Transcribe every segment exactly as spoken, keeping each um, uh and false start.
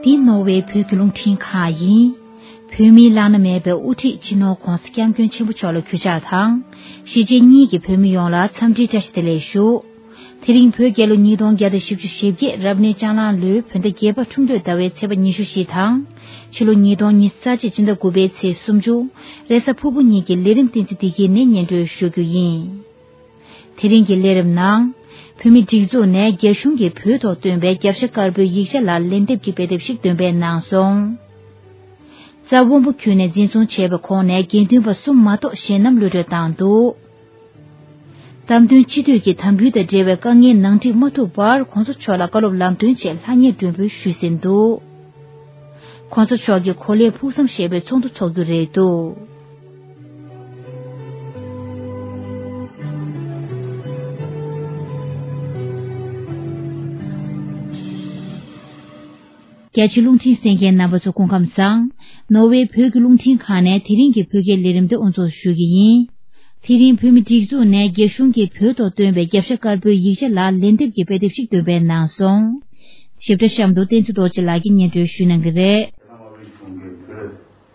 འདི་ནོར་ཝེ་བོད་ཀྱི་རླུང་འཕྲིན་ཁང་ཡིན། བོད་མིའི་བླ་ན་མེད་པའི་དབུ་ཁྲིད་སྤྱི་ནོར་༧གོང་ས་༧སྐྱབས་མགོན་ཆེན་པོ་མཆོག་ལ་གུས་ཕྱག་དང་། གཞིས་བྱེས་གཉིས་ཀྱི་བོད་མི་ཡོངས་ལ་འཚམས་འདྲིའི་བཀྲ་ཤིས་བདེ་ལེགས་ཞུ། དེ་རིང་བོད་རྒྱལ་ལོ་ཉིས་སྟོང་བརྒྱ་དང་བཞི་བཅུ་ཞེ་བརྒྱད་རབ་གནས་ལྕགས་གླང་ལོའི་བོད་ཟླ་བརྒྱད་པ་ཁྲུམས་སྟོད་ཟླ་བའི་ཚེས་པ་ཉི་ཤུ་བཞི་དང་། ཕྱི་ལོ་ཉིས་སྟོང་ཉི་ཤུ་རྩ་གཅིག་སྤྱི་ཟླ་དགུ་པའི་ཚེས་སུམ་ཅུ། རེས་གཟའ་ཕུར་བུ་ཉིན་གྱི་ལས་རིམ་བསྟན་འཛིན་བདེ་སྐྱིད་ནས་སྙན་སྒྲོན་ཞུ་རྒྱུ་ཡིན། དེ་རིང་གི་ལས་རིམ་ནང་། བོད་མིའི་སྒྲིག་འཛུགས་ནས་རྒྱ་གཞུང་གིས་བོད་ཐོག་བཏོན་པའི་རྒྱབ་ཤ་དཀར་པོའི་ཡིག་ཆ་ལ་ལན་འདེབས་ཀྱི་དཔེ་དེབ་ཞིག་འདོན་སྤེལ་གནང་སོང་། རྩ་དབོན་པོ་ཁྱོན་ནས་འཛིན་བཟུང་བྱས་པའི་ཁོངས་ནས་དགེ་འདུན་པ་གསུམ་མ་གཏོགས་གཞན་རྣམས་གློད་གྲོལ་བཏང་འདུག། བདམས་ཐོན་སྤྱི་འཐུས་ཀྱི་དམ་འབུལ་དང་འབྲེལ་བའི་དཀའ་ངལ་ནང་འགྲིག་མ་ཐུབ་བར་༧གོང་ས་མཆོག་ལ་བཀའ་སློབ་ལམ་སྟོན་ཆེད་ལྷང་ངེར་མགྲོན་འབོད་ཞུས་ཟིན་འདུག། ༧གོང་ས་མཆོག་གིས་གོ་ལའི་ཕུགས་བསམ་ཞེས་པའི་ཚོགས་འདུ་འཚོགས་རྒྱུ་རེད་འདུག། རྒྱ་ཆེའི་རླུང་འཕྲིན་གསན་མཁན་རྣམ་པ་ཚོ་སྐུ་ཁམས་བཟང་། ནོར་ཝེ་བོད་ཀྱི་རླུང་འཕྲིན་ཁང་ནས་དེ་རིང་གི་བོད་སྐད་ལས་རིམ་འདི་དབུ་འཛུགས་ཞུ་གི་ཡིན། དེ་རིང་བོད་མི་སྒྲིག་འཛུགས་ནས་རྒྱ་གཞུང་གིས་བོད་ཐོག་བཏོན་པའི་རྒྱབ་ཤ་དཀར་པོའི་ཡིག་ཆ་ལ་ལན་འདེབས་ཀྱི་དཔེ་དེབ་ཞིག་འདོན་སྤེལ་གནང་སོང་། ཞིབ་ཕྲ་གཤམ་དུ་བསྟན་འཛིན་རྡོ་རྗེ་ལགས་ཀྱིས་སྙན་སྒྲོན་ཞུ་གནང་གི་རེད།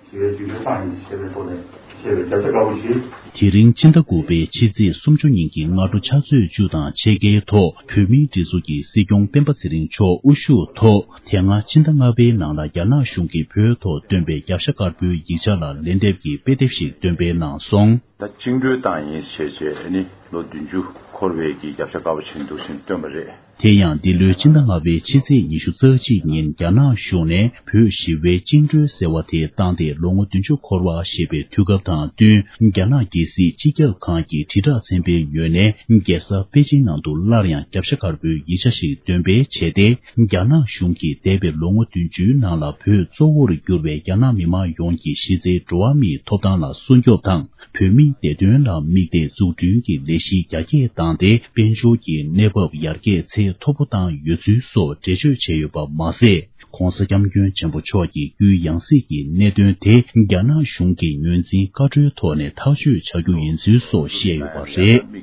ཞི་བའི་བཅིངས་འགྲོལ་བཏང་ཡིན་ཞེས་པའི་ཐོག་ནས་བཤད་པའི་རྒྱབ་ཤ་དཀར་པོ་ཞིག། དེ་རིང་ཕྱི་ཟླ་དགུ་པའི་ཕྱི་ཚེས་སུམ་ཅུ་ཉིན་གྱི་སྔ་དྲོ་ཕྱག་ཚོད་བཅུ་དང་ཕྱེད་ཀའི་ཐོག་བོད་མིའི་སྒྲིག་འཛུགས་ཀྱི་སྲིད་སྐྱོང་སྤེན་པ་ཚེ་རིང་མཆོག་དབུ་བཞུགས་ཐོག་དེ་སྔ་ཕྱི་ཟླ་ལྔ་པའི་ནང་ལ་རྒྱ་ནག་གཞུང་གིས་བོད་ཐོག་བཏོན་པའི་རྒྱབ་ཤ་དཀར་པོའི་ཡིག་ཆ་ལ་ལན་འདེབས་ཀྱི་དཔེ་དེབ་ཞིག་འདོན་སྤེལ་གནང་སོང་། ད་བཅིངས་འགྲོལ་བཏང་ཡིན་ཞེས་བྱས་ཨ་ནི་ལོ་བདུན་ཅུ་འཁོར་བའི་གི་རྒྱབ་ཤ་དཀར་པོ་ཞིག་འདུག་ཟེར་བཏོན་པ་རེད། དེ་ཡང་འདི་ལོའི་ཕྱི་ཟླ་ལྔ་པའི་ཕྱི་ཚེས་ཉི་ཤུ་རྩ་གཅིག་ཉིན་རྒྱ་ནག་གཞུང་ནས་བོད་ཞི་བའི་བཅིངས་འགྲོལ་ཟེར་བ་དེ་བཏང་སྟེ་ལོ་ངོ་བདུན་ཅུ་འཁོར་བ་ཞེས་པའི་དུས་སྐབས་དང་བསྟུན་རྒྱ་ནག་རྒྱལ་སྲིད་སྤྱི་ཁྱབ་ཁང་གི་དྲིལ་བསྒྲགས་ཚན་པའི་ངོས་ནས་རྒྱལ་ས་པེ་ཅིང་ནང་དུ་སླར་ཡང་རྒྱབ་ཤ་དཀར་པོའི་ཡིག་ཆ་ཞིག་འདོན་སྤེལ་བྱས་ཏེ་རྒྱ་ནག་གཞུང་གིས་འདས་པའི་ལོ་ངོ་བདུན་ཅུའི་ནང་ལ་བོད་གཙོ་བོར་གྱུར་བའི་རྒྱ་ནག་མི་མང་ཡོངས་ཀྱི་གཞི་རྩའི་འགྲོ་བ་མིའི་ཐོབ་ཐང་ལ་སྲུང་སྐྱོབ་དང་། བོད་མིའི་བདེ་དོན་ལ་དམིགས་ཏེ་འཛུགས་སྐྲུན་གྱི་ལས་གཞི་རྒྱ་སྐྱེད་བཏང་སྟེ་དཔལ་འབྱོར་གྱི་གནས་བབ་ཡར་རྒྱས་ཚད་མཐོ་པོ་བཏང་ཡོད་ཚུལ་སོགས་འགྲེལ་བརྗོད་བྱས་ཡོད་པ་མ་ཟད། ྋགོང་ས་ྋསྐྱབས་མགོན་ཆེན་པོ་མཆོག་གི་རྒྱུའི་ཡང་སྲིད་ཀྱི་གནད་དོན་དེ་རྒྱ་ནག་གཞུང་གི་ངོས་འཛིན་བཀའ་འཁྲོལ་ཐོག་ནས་ཐག་གཅོད་བྱ་རྒྱུ་ཡིན་ཚུལ་སོགས་བཤད་ཡོད་པ་རེད།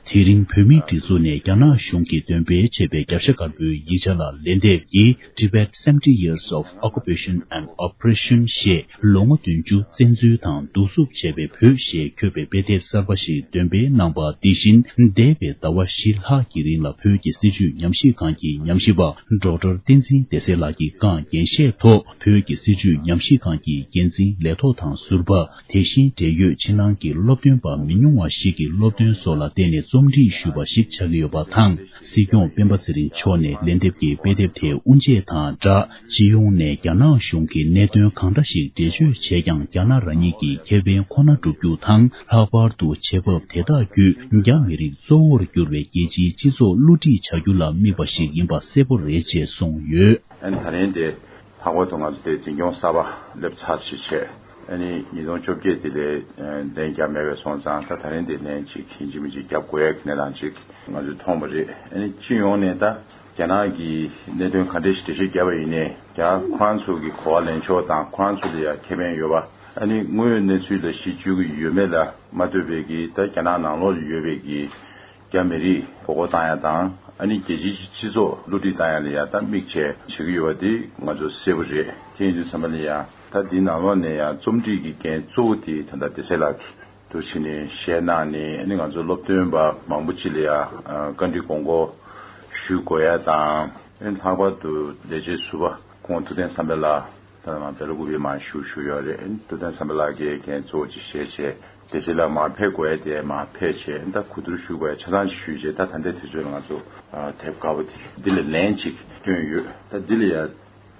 དེ་རིང་བོད་མིའི་སྒྲིག་འཛུགས་ནས་རྒྱ་ནག་གཞུང་གིས་འདོན་སྤེལ་བྱས་པའི་རྒྱབ་ཤ་དཀར་པོའི་ཡིག་ཆ་ལ་ལན་འདེབས་ཀྱིས། Tibet seventy Years of Occupation and Oppression ཞེས་ལོ་ངོ་བདུན་ཅུ་བཙན་འཛུལ་དང་གདུག་རྩུབ་བྱས་པའི་བོད་ཞེས་འཁོད་པའི་དཔེ་དེབ་གསར་པ་ཞིག་འདོན་སྤེལ་གནང་པ་འདི་བཞིན་འདས་པའི་ཟླ་བ་བཞི་ལྷག་གི་རིང་ལ་བོད་ཀྱི་སྲིད་བྱུས་ཉམས་ཞིབ་ཁང་གི་ཉམས་ཞིབ་པ་ཌོག་ཊར་བསྟན་འཛིན་བདེ་གསལ་ལགས་ཀྱིས་བསྐངས་འགན་བཞེས་ཐོག་བོད་ཀྱི་སྲིད་བྱུས་ཉམས་ཞིབ་ཁང་གི་འགན་འཛིན་ལས་ཐོག་དང་ཟུར་པ། དེ་བཞིན་འབྲེལ་ཡོད་ཕྱི་ནང་གི་སློབ་སྟོན་པ་མི་ཉུང་བ་ཞིག་གིས་སློབ་སྟོན་སོགས་ལ་བརྟེན་ནས་རྩོམ་སྒྲིག་ཞུས་པ་ཞིག་ཆགས་ཀྱི་ཡོད་པ་དང་། སྲིད་སྐྱོང་སྤེན་པ་ཚེ་རིང་མཆོག་ནས་ལན་འདེབས་ཀྱི་དཔེ་དེབ་དེ་དབུ་འབྱེད་དང་སྦྲགས། སྤྱི་ཡོངས་ནས་རྒྱ་ནག་གཞུང་གིས་གནད་དོན་གང་འདྲ་ཞིག་འགྲེལ་བརྗོད་བྱས་ཀྱང་། རྒྱ་ནག་རང་ཉིད་ཀྱི་ཁེ་ཕན་ཁོ་ན་བསྒྲུབ་རྒྱུ་དང་། ལྷག་པར་དུ་བྱེད་བབ་དེ་དག་བརྒྱུད་རྒྱ་མི་རིགས་གཙོ་བོར་གྱུར་བའི་རྒྱལ་སྤྱིའི་སྤྱི་ཚོགས་བསླུ་བྲིད་བྱ་རྒྱུ་ལ་དམིགས་པ་ཞིག་ཡིན་པ་གསལ་པོ་རེད་ཅེས་གསུངས་ཡོད། ཨ་ནི་ད་རིང་དེ་ལྷག་པར་དུ་ང་ཚོ་དེ་འཛིན་སྐྱོང་གསར་པ་སླེབས་ཚར་ཞེས་བྱས། ཨ་ནི་ཉིས་སྟོང་བཅོ་བརྒྱད་དེ་ལས་ལན་རྒྱབ་མེད་པས་སོང་ཙང་། ད་ད་རིང་དེ་ལན་ཅིག་ཡིན་གཅིག་མིན་གཅིག་རྒྱབ་དགོས་ཡ་གི་གནས་སྟངས་ཅིག་ང་ཚོས་མཐོང་བ་རེད། ཨ་ནི་སྤྱི་ཡོངས་ནས་ད་རྒྱ་ནག་གི་གནད་དོན་ག་འདྲ་ཞིག་འགྲེལ་བཤད་བརྒྱབ་པ་ཡིན་ནའི། རྒྱ་ཁོ་རང་ཚོ་གི་གོ་བ་ལེན་ཕྱོགས་དང་ཁོ་རང་ཚོ་ལ་ཡ་ཁེ་ཕན་ཡོད་པ། ཨ་ནི་དངོས་ཡོད་གནས་ཚུལ་ལ་གཞི་བཅོལ་གྱི་ཡོད་མེད་ལ་མ་ལྟོས་པའི་གི་ད་རྒྱ་ནག་ནང་ལོགས་ལ་ཡོད་པའི་གི་རྒྱ་མི་རིགས་མགོ་སྐོར་བཏང་ཡ་དང་། ཨ་ནི་རྒྱལ་སྤྱིའི་སྤྱི་ཚོགས་བསླུ་བྲིད་བཏང་ཡ་ལ་ཡ་ད་དམིགས་བྱས་བྱེད་ཀྱི་ཡོད་པ་དེ་ང་ཚོ་གསལ་པོ་རེད། དེ་ཡིན་དུས་ཙམ་པ་ལ་ཡ་ད་འདི་ནང་ལོགས་ནས་ཡ་རྩོམ་སྒྲིག་གི་འགན་གཙོ་བོ་དེ་ད་ལྟ་བདེ་གསལ་ལགས་ཀྱིས་འདུག་བྱས་ནས་བཤད་གནང་ནས། ཨ་ནི་ང་ཚོ་སློབ་སྟོན་པ་མང་པོ་ཅིག་ལ་ཡ་བཀའ་འདྲི་དགོངས་སྐོར་ཞུ་དགོས་ཡ་དང་། ཨ་ནི་ལྷག་པར་དུ་ལས་བྱེད་ཟུར་པ་ཁོང་ཐུབ་བསྟན་བསམ་འཕེལ་ལགས། ད་ང་བེ་ལ་ཀུ་པེ་མར་བཞུགས་བཞུགས་ཡོད་རེད། ཐུབ་བསྟན་བསམ་འཕེལ་ལགས་ཀྱིས་འགན་གཙོ་བོ་ཅིག་བཞེས་བྱས། དེ་ཚེ་ལ་མར་ཕེབས་དགོས་ཡ་དེ་མར་ཕེབས་བྱས། ད་གོ་བསྡུར་ཞུ་དགོས་ཡ་ཆ་ཚང་ཅིག་ཞུས་བྱས། ད་ད་ལྟའི་དུས་ཚོད་ལ་ང་ཚོ་དེབ་དཀར་པོ་དེ་འདི་ལ་ལན་ཅིག་བཏོན་ཡོད། ད་འདི་ལ་ཡ་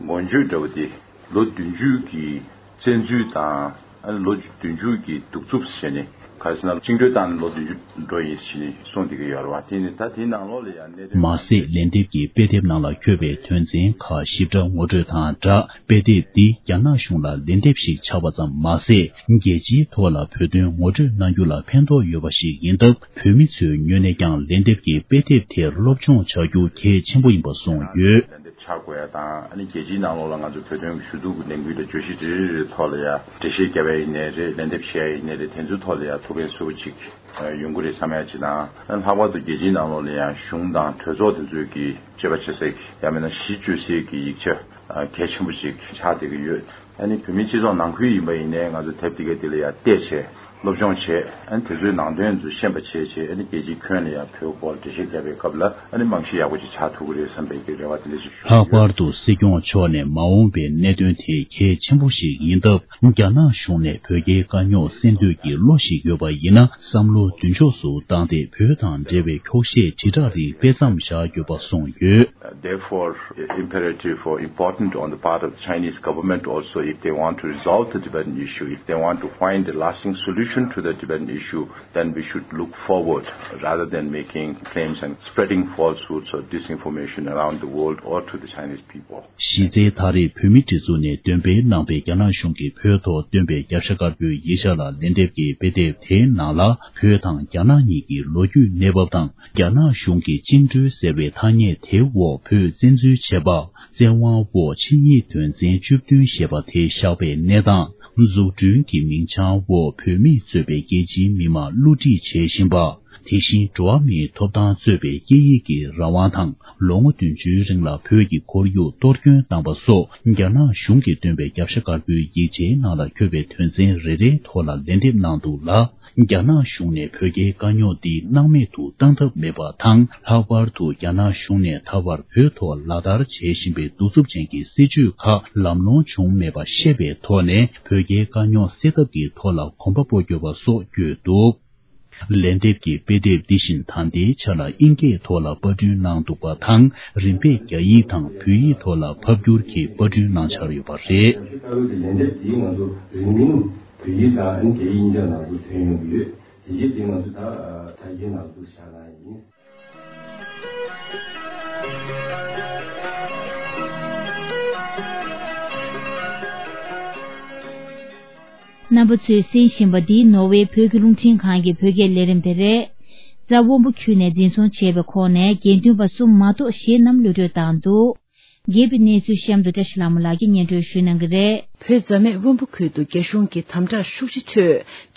འགོ་བརྗོད་འདྲ་བོ་དེ་ལོ་བདུན་ཅུ་གི་བཙན་འཛུལ་དང་། ཨ་ནི་ལོ་བདུན་ཅུ་གི་གདུག་རྩུབ་ཟེར་ནས། ག་རེ་ཟེར་ན་བཅིངས་འགྲོལ་བཏང་ནས་ལོ་བདུན་ཅུ་འགྲོ་ཡིན་ཟེར་ནས་གསུངས་བསྡད་ཀྱི་ཡོད་རེད་བ། དེ་ནི་ད་དེའི་ནང་ལོགས་ལ་ཡང་གནད་དོན། མ་ཟད་ལན་འདེབས་ཀྱི་དཔེ་དེབ་ནང་ལ་འཁོད་པའི་དོན་ཚན་ཁག་ཞིབ་ཕྲ་ངོ་སྤྲོད་དང་སྦྲགས། དཔེ་དེབ་འདི་རྒྱ་ནག་གཞུང་ལ་ལན་འདེབས་ཤིག་ཆགས་པ་ཙམ་མ་ཟད། རྒྱལ་སྤྱིའི་ཐོག་ལ་བོད་དོན་ངོ་སྤྲོད་གནང་རྒྱུ་ལ་ཕན་ཐོགས་ཡོད་པ་ཞིག་ཡིན་སྟབས། བོད་མི་ཚོའི་ངོས་ནས་ཀྱང་ལན་འདེབས་ཀྱི་དཔེ་དེབ་དེར་སློབ་སྦྱོང་བྱ་རྒྱུ་གལ་ཆེན་པོ་ཡིན་པ་གསུངས་ཡོད། ཆགས་དགོས་ཡ་དང་། ཨ་ནི་རྒྱལ་སྤྱིའི་ནང་ལོགས་ལ་ང་ཚོ་བོད་དོན་གྱི་ཞུ་གཏུག་གི་ལས་འགུལ་དང་བརྗོད་གཞི་རེ་རེ་རེ་ཐོག་ལ་ཡ་འགྲེལ་བཤད་བརྒྱབ་ཡ་ཡིན་ནའི་རེད། ལན་འདེབས་བྱེད་ཡ་ཡིན་ནའི་རེད། དེ་ཚོའི་ཐོག་ལ་ཡ་ཐུགས་ཕན་གསོས་པོ་ཅིག་ཡོང་གི་རེད་བསམ་ཡ་ཅིག་དང་། ཨ་ནི་ལྷག་པར་དུ་རྒྱལ་སྤྱིའི་ནང་ལོགས་ལ་ཡང་གཞུང་དང་གྲོས་ཚོགས་དེ་ཚོས་ཀྱི་དཔྱད་པ་བྱེད་སའི་གི་ཡང་མིན་ན་གཞི་བཅོལ་སའི་གི་ཡིག་ཆ་ གལ་ཆེན་པོ་ཞིག་ཆགས་བསྡད་ཀྱི་ཡོད། ཨ་ནི་བོད་མི་སྤྱི་ཚོགས་ནང་ཁུལ་ཡིན་པ་ཡིན་ནའི་ང་ཚོ་དེབ་དེ་གའི་དེ་ལ་ཡང་བལྟས་བྱས་སློབ་སྦྱོང་བྱས། ཨ་ནི་དེ་ཚོའི་ནང་དོན་ཚོ་ཤེས་པ་བྱས་བྱས། ཨ་ནི་རྒྱལ་སྤྱིའི་ཁྱོན་ལ་ཡང་བོད་སྐོར་འགྲེལ་བཤད་བརྒྱབ་པའི་སྐབས་ལ་ཨ་ནི་རྨང་གཞི་ཡག་པོ་ཅིག་ཆགས་ཐུབ་ཀྱི་རེད་བསམ་པའི་གི་རེ་བ་དེ་འདྲ་ཞིག་ཞུ་ལྷག་པར་དུ་སྲིད་སྐྱོང་མཆོག་ནས་མ་འོངས་པའི་གནད་དོན་དེ་གལ་ཆེན་པོ་ཞིག་ཡིན་སྟབས། རྒྱ་ནག་གཞུང་ནས་བོད་རྒྱའི་དཀའ་རྙོག་སེལ་འདོད་ཀྱི་བློ་ཞིག་ཡོད་པ་ཡིན་ན། བསམ་བློ་མདུན་ཕྱོགས་སུ་བཏང་སྟེ་བོད་དང་འབྲེལ་བའི་འཁྱོག་བཤད་དྲིལ་བསྒྲགས་རིགས་སྤེལ་མཚམས་བཞག་དགོས་པ་གསུངས་ཡོད། Therefore, it's imperative or important on the part of the Chinese government also, if they want to resolve the Tibetan issue, if they want to find a lasting solution to the Tibetan issue, then we should look forward rather than making claims and spreading falsehoods or disinformation around the world or to the Chinese people. གཞི་རྩའི་ད་རེས་བོད་མིའི་སྒྲིག་འཛུགས་ནས་འདོན་སྤེལ་གནང་པའི་རྒྱ་ནག་གཞུང་གིས་བོད་ཐོག་བཏོན་པའི་རྒྱབ་ཤ་དཀར་པོའི་ཡིག་ཆ་ལ་ལན་འདེབས་ཀྱི་དཔེ་དེབ་དེའི་ནང་ལ། བོད་དང་རྒྱ་ནག་གཉིས་ཀྱི་ལོ་རྒྱུས་གནས་བབ་དང་། རྒྱ་ནག་གཞུང་གི་བཅིངས་འགྲོལ་ཟེར་བའི་ཐ་སྙད་དེའི་འོག་བོད་བཙན་འཛུལ་བྱས་པ། བཙན་དབང་འོག་ཆིངས་ཡིག་དོན་ཚན་བཅུ་བདུན་ཞེས་པ་དེ་བཞག་པའི་གནས་སྟངས། འཛུགས་སྐྲུན་གྱི་མིང་བྱང་འོག་བོད་མིས་གཙོས་པའི་རྒྱལ་སྤྱིའི་མི་མང་བསླུ་བྲིད་བྱས་བཞིན་པ། དེ་བཞིན་འགྲོ་བ་མིའི་ཐོབ་ཐང་གཙོས་པའི་སྐད་ཡིག་གི་རང་དབང་དང་། ལོ་ངོ་བདུན་ཅུའི་རིང་ལ་བོད་ཀྱི་ཁོར་ཡུག་གཏོར་སྐྱོན་བཏང་བ་སོགས། རྒྱ་ནག་གཞུང་གིས་བཏོན་པའི་རྒྱབ་ཤ་དཀར་པོའི་ཡིག་ཆའི་ནང་ལ་འཁོད་པའི་དོན་ཚན་རེ་རེའི་ཐོག་ལ་ལན་འདེབས་གནང་འདུག་ལ། རྒྱ་ནག་གཞུང་ནས་བོད་རྒྱའི་དཀའ་རྙོག་འདི་སྣང་མེད་དུ་བཏང་ཐབས་མེད་པ་དང་། ལྷག་པར་དུ་རྒྱ་ནག་གཞུང་ནས་ད་བར་བོད་ཐོག་ལག་བསྟར་བྱེད་བཞིན་པའི་གདུག་རྩུབ་ཅན་གྱི་སྲིད་བྱུས་ཁག་ལམ་ལྷོང་བྱུང་མེད་པ་ཤེས་པའི་ཐོག་ནས། བོད་རྒྱའི་དཀའ་རྙོག་སེལ་ཐབས་ཀྱི་ཐོག་ལ་གོམ་པ་སྤོ་དགོས་པ་སོགས་བཀོད་འདུག་ལན་འདེབས་ཀྱི་དཔེ་དེབ་འདི་བཞིན་ད་ལྟའི་ཆ་ལ་དབྱིན་སྐད་ཐོག་ལ་པར་སྐྲུན་གནང་འདུག་པ་དང་། རིམ་པས་རྒྱ་ཡིག་དང་བོད་ཡིག་ཐོག་ལ་ཕབ་བསྒྱུར་གྱིས་པར་སྐྲུན་གནང་འཆར་ཡོད་པ་རེད། ལན་འདེབས་འདིའི་ང་ཚོ་རིང་མིན་བོད་ཡིག་དང་ཨ་ནི་རྒྱ་ཡིག་གཉིས་ཆ་ནང་དུ་ཐོན་ཡོང་གི་ཡོད། དེ་རྗེས་དེ་ང་ཚོ་ད་དྲ་རྒྱའི་ནང་དུ་བཞག་གནང་ཡིན། རྣམ་པ་ཚོས་གསན་བཞིན་པ་འདི་ནོར་ཝེ་བོད་ཀྱི་རླུང་འཕྲིན་ཁང་གི་བོད་སྐད་ལས་རིམ་དེ་རེད། རྫ་དབོན་པོ་ཁུལ་ནས་འཛིན་བཟུང་བྱས་པའི་ཁོངས་ནས་དགེ་འདུན་པ་གསུམ་མ་གཏོགས་གཞན་རྣམས་གློད་གྲོལ་བཏང་འདུག་རྒྱས་པའི་གནས་ཚུལ་གཤམ་དུ་བཀྲ་ཤིས་ལྷ་མོ་ལགས་ཀྱིས་སྙན་སྒྲོན་ཞུ་གནང་གི་རེད། བོད་རྫ་སྨད་དབོན་པོ་ཁུལ་དུ་རྒྱ་གཞུང་གི་དམ་དྲག་ཤུགས་ཆེ་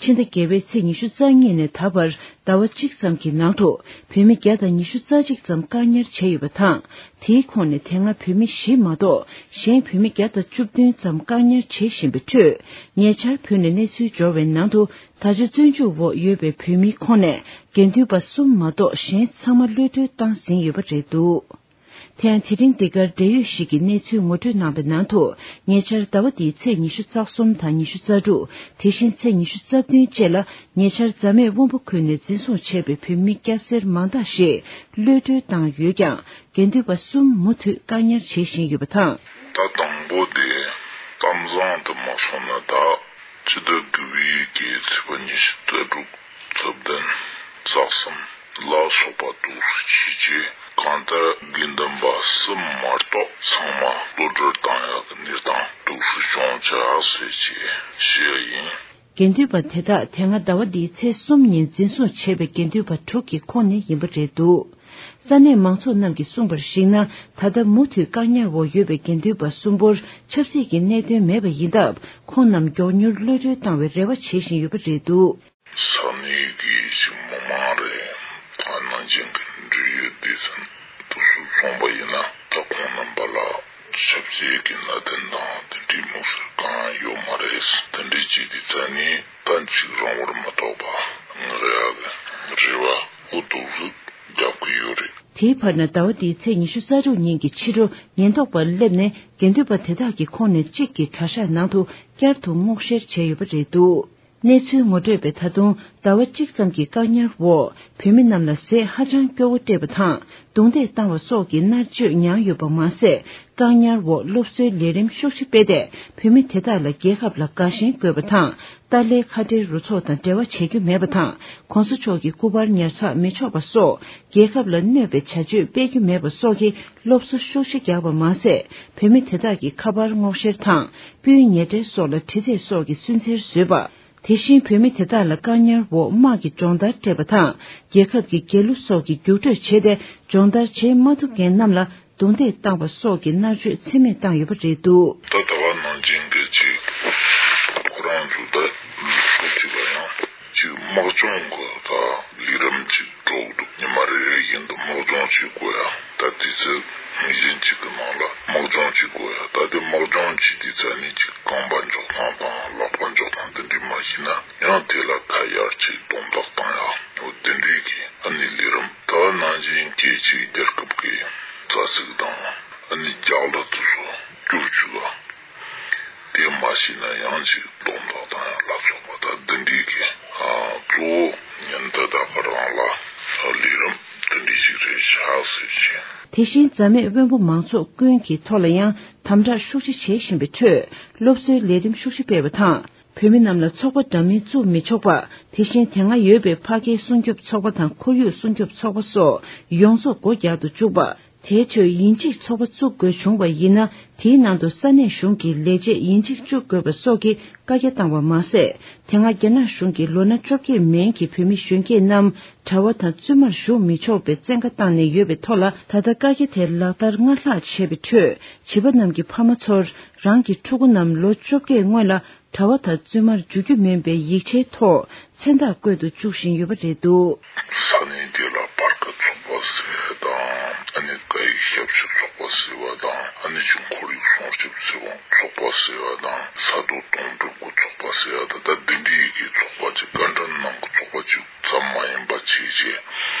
ཁྲོད། ཕྱི་ཟླ་བརྒྱད་པའི་ཚེས་ཉི་ཤུ་རྩ་གཉིས་ནས་ད་བར་ཟླ་བ་གཅིག་ཙམ་གྱི་ནང་དུ་བོད་མི་བརྒྱ་དང་ཉི་ཤུ་རྩ་གཅིག་ཙམ་བཀག་ཉར་བྱས་ཡོད་པ་དང་། དེའི་ཁོངས་ནས་དེ་སྔ་བོད་མི་བཞི་མ་གཏོགས་གཞན་བོད་མི་བརྒྱ་དང་བཅུ་བདུན་ཙམ་བཀག་ཉར་བྱེད་བཞིན་པའི་ཁྲོད། ཉེ་ཆར་བོད་ནས་གནས་ཚུལ་འབྱོར་བའི་ནང་དུ། ད་ཆ་བཙོན་འཇུག་འོག་ཡོད་པའི་བོད་མིའི་ཁོངས་ནས་དགེ་འདུན་པ་གསུམ་མ་གཏོགས་གཞན་ཚང་མ་གློད་གྲོལ་བཏང་ཟིན་ཡོད་པ་རེད་འདུག་དེ་ཡང་དེ་རིང་འདི་གར་འབྲེལ་ཡོད་ཞིག་གིས་གནས་ཚུལ་ངོ་སྤྲོད་གནང་པའི་ནང་དུ། ཉེ་ཆར་ཟླ་བ་འདིའི་ཚེས་ཉི་ཤུ་རྩ་གསུམ་དང་ཉི་ཤུ་རྩ་དྲུག་དེ་བཞིན་ཚེས་ཉི་ཤུ་རྩ་བདུན་བཅས་ལ། ཉེ་ཆར་རྫ་སྨད་དབོན་པོ་ཁུལ་ནས་འཛིན་བཟུང་བྱས་པའི་བོད་མི་སྐྱ་སེར་མང་དག་ཞིག་གློད་གྲོལ་བཏང་ཡོད་ཀྱང་། དགེ་འདུན་པ་གསུམ་མུ་མཐུད་བཀག་ཉར་བྱེད་བཞིན་ཡོད་པ་དང་། ད་དང་པོ་དེ་གཏམ་བཟང་དུ་མ་སོང་ན། ད་ཕྱི་ཟླ་དགུ་པའི་གི་ཚེས་པ་ཉི་ཤུ་རྩ་དྲུག་རྩ་བདུན་རྩ་གསུམ་ལ་སོགས་པ་འདུག་སེ་བྱས་རྗེས། གང་ལྟར་དགེ་འདུན་པ་གསུམ་མ་གཏོགས་ཚང་མ་གློད་གྲོལ་བཏང་ཡག་གི་གནས་སྟངས་འདུག་སེ་བྱུང་བྱ་ཟེར་བྱས་བཤད་ཡིན། དགེ་འདུན་པ་དེ་དག་དེ་སྔ་ཟླ་བ་འདིའི་ཚེས་གསུམ་ཉིན་འཛིན་བཟུང་བྱས་པའི་དགེ་འདུན་པ་དྲུག་གི་ཁོངས་ནས་ཡིན་པ་རེད་འདུག་ས་གནས་མང་ཚོགས་རྣམས་ཀྱིས་གསུངས་པར་གཞིགས་ན། ད་ལྟ་མུ་མཐུད་བཀག་ཉར་འོག་ཡོད་པའི་དགེ་འདུན་པ་གསུམ་པོར་ཆབ་སྲིད་ཀྱི་གནད་དོན་མེད་པ་ཡིན་སྟབས། ཁོང་རྣམས་མགྱོགས་མྱུར་གློད་གྲོལ་བཏང་བའི་རེ་བ་བྱེད་བཞིན་ཡོད་པ་རེད་འདུག་ས་གནས་ཀྱི་ཞིག་མི་མང་རེད། ད་ནང་བཞིན་གྱི་འབྲེལ་ཡོད་སྡེ་ཚན་དུ་སུ་སོང་པ་ཡིན་ན། ད་ཁོང་རྣམ་པ་ལ་ཆབ་སྲིད་ཀྱི་གནད་དོན་དང་དེ་འདྲའི་དམིགས་བསལ་གང་ཡོད་མ་རེད། དེ་འདྲའི་ཅིག་དེ་ཚ་ནི་ད་ཅིག་རང་བར་མ་གཏོགས་པ་ངེས་ཡག་གི་རེ་བ་འུ་ཐུག་རུ་རྒྱབ་ཀྱི་ཡོད་རེད། དེའི་བར་ན་ཟླ་བ་འདིའི་ཚེས་ཉི་ཤུ་རྩ་དྲུག་ཉིན་གྱི་ཕྱི་དྲོ་ཉེན་རྟོག་པ་སླེབས་ནས་དགེ་འདུན་པ་དེ་དག་གི་ཁོངས་ནས་གཅིག་གི་གྲྭ་ཤག་ནང་དུ་བསྐྱར་དུ་སྔོག་བཤེར་བྱས་ཡོད་པ་རེད་འདུག་གནས་ཚུལ་ངོ་སྤྲོད་པས་ད་དུང་ཟླ་བ་གཅིག་ཙམ་གྱི་བཀག་ཉར་འོག་བོད་མི་རྣམས་ལ་ཟས་ཧ་ཅང་སྐྱོ་བོ་སྤྲད་པ་དང་རྡུང་རྡེག་བཏང་བ་སོགས་ཀྱི་མནར་གཅོད་མྱངས་ཡོད་པ་མ་ཟད། བཀག་ཉར་འོག་སློབ་གསོའི་ལས་རིམ་ཤུགས་ཆེ་སྤེལ་ཏེ། བོད་མི་དེ་དག་ལ་རྒྱལ་ཁབ་ལ་དགའ་ཞེན་དགོས་པ་དང་། ཏཱ་ལའི་ཁ་བྲལ་རུ་ཚོགས་དང་འབྲེལ་བ་བྱེད་རྒྱུ་མེད་པ་དང་། གོང་ས་མཆོག་གི་སྐུ་པར་ཉར་ཚགས་མི་ཆོག་པ་སོགས། རྒྱལ་ཁབ་ལ་གནོད་པའི་བྱ་སྤྱོད་སྤེལ་རྒྱུ་མེད་པ་སོགས་ཀྱི་སློབ་གསོ་ཤུགས་ཆེ་རྒྱག་པ་མ་ཟད། བོད་མི་དེ་དག་གི་ཁ་པར་སྔོག་བཤེར་དང་། སྤུས་ཉེ་འབྲེལ་སོགས་ལ་དྲི་རྩད་སོགས་ཀྱི་སུན་གཙེར་བཟོས་པ། དེ་བཞིན་བོད་མི་དེ་དག་ལ་བཀག་ཉར་འོག་དམག་གི་སྦྱོང་བརྡར་སྤྲད་པ་དང་། རྒྱལ་ཁབ་ཀྱི་རྒྱལ་གླུ་སོགས་ཀྱི་རྒྱུགས་སྤྲོད་བྱས་ཏེ། སྦྱོང་བརྡར་བྱེད་མ་ཐུབ་མཁན་རྣམས་ལ་རྡུང་རྡེག་བཏང་བ་སོགས་ཀྱི་མནར་གཅོད་ཚད་མེད་བཏང་ཡོད་པ་རེད་འདུག་ད་ལྟ་བ་ནང་བཞིན་གྱི་ཅིག་ཁོ་རང་ཚོ་ད་ལུགས་སྲོལ་གཅིག་ལ་ཡང་ཅིག་དམག་སྦྱོང་གི་ད་ལས་རིམ་ཅིག་འགྲོ་གི་འདུག་ཉི་མ་རེ་རེ་བཞིན་དུ་དམག་སྦྱོང་བྱེད་དགོས་ཡ། ད་ ད་དུས་ཚོད་ངེས་ཅན་ཅིག་གི་ནང་ལ་དམག་སྦྱོང་བྱེད་དགོས་ཡ། ད་དེ་དམག་སྦྱོང་བྱེད་དུས་ཚོད་ནི་ཅིག་རྐང་པ་འཇོག་སྟངས་དང་ལག་པ་འཇོག་སྟངས་དེ་འདྲ་མ་ཤེས་ན་ཡང་དེ་ལ་ཁ་ཡར་ཅིག་སྡོམ་འདེགས་བཏང་ཡ། འོ་དེ་འདྲའི་གི་ཨ་ནི་ལས་རིམ། ད་ནང་བཞིན་སྐད་ཅིག་རྒྱལ་ཁབ་ཀྱི་རྩ་ཚིག་དང་ཨ་ནི་རྒྱག་ལ་དེ་ཚོ་བསྒྱུར་བཅུག་ཡ། དེ་མ་ཤེས་ན་ཡང་ཅིག་སྡོམ་འདེགས་དང་ཡང་ལ་སོགས་པ་ད་འདི་འདྲའི་གི་ཨ་གཙོ་བོ་ཉིན་ད་ལྟ་ག་རང་ལ་ལས་རིམ་འདི་འདྲའི་ཞིག་རེད་ཤག་ཟེར་བཞིན། དེ་བཞིན་རྩ་མེད་དབོན་པོ་མང་ཚོགས་ཀུན་གྱི་ཐོག་ལ་ཡང་དམ་དྲག་ཤུགས་ཆེ་བྱེད་བཞིན་པའི་ཁྲོད་སློབ་གསོའི་ལས་རིམ་ཤུགས་ཆེ་སྤེལ་བ་དང་། བོད་མི་རྣམས་ལ་ཚོགས་པ་འདྲ་མིན་བཙུགས་མི་ཆོག་པ། དེ་བཞིན་དེ་སྔ་ཡོད་པའི་ཕ་སྐད་སྲུང་སྐྱོབ་ཚོགས་པ་དང་ཁོར་ཡུག་སྲུང་སྐྱོབ་ཚོགས་པ་སོགས་ཡོངས་རྫོགས་སྒོ་རྒྱག་ཏུ་བཅུག་པ། དེའི་ཁྲོད་ཡིན་གཅིག་ཚོགས་པ་བཙུགས་དགོས་བྱུང་བ་ཡིན་ན། དེའི་ནང་དུ་ས་གནས་གཞུང་གི་ལས་བྱེད་ཡིན་གཅིག་བཅུག་དགོས་པ་སོགས་ཀྱི་བཀའ་རྒྱ་བཏང་བ་མ་ཟད། དེ་སྔ་རྒྱ་ནག་གཞུང་གིས་ལོ་ན་བཅོ་བརྒྱད་མན་གྱི་བོད་མི་གཞོན་སྐྱེས་རྣམས་གྲྭ་བ་དང་བཙུན་མར་ཞུགས་མི་ཆོག་པའི་བཙན་བཀའ་བཏང་ནས་ཡོད་པའི་ཐོག་ལ། ད་ལྟ་བཀའ་རྒྱ་དེ་ལག་བསྟར་སྔར་ལྷག་བྱས་པའི་ཁྲོད། བྱིས་པ་རྣམས་ཀྱི་ཕ་མ་ཚོར་རང་གི་ཕྲུ་གུ་རྣམས་ལོ་བཅོ་བརྒྱད་སྔོན་ལ་གྲྭ་བ་དང་བཙུན་མར་འཇུག་རྒྱུ་མིན་པའི་ཡིག་ཆའི་ཐོག་མཚན་རྟགས་བཀོད་དུ་བཅུག་བཞིན་ཡོད་པ་རེད་འདུག། ས་གནས་དེ་ལ་པར་ཀ་ཚོགས་པ་ཟེར་བ་དང་། ཨ་ནི་སྐད་ཡིག་ཞབས་ཞུ་ཚོགས་པ་ཟེར་བ་དང་། ཨ་ནི་ཅིག་ཁོར་ཡུག་སྲུང་སྐྱོབ་ཚོགས་པ་ཟེར་བ་དང་། ས་རྡོ་དོང་སྤྲུག་གི་ཚོགས་པ་ཟེར་བ་དང་། ད་འདི་འདྲའི་གི་ཚོགས་པ་ཅིག་བཀའ་འདྲི་གནང་གི་ཚོགས་པ་ཅིག་ཙམ་མ་ཡིན་པ་བྱས་བྱས།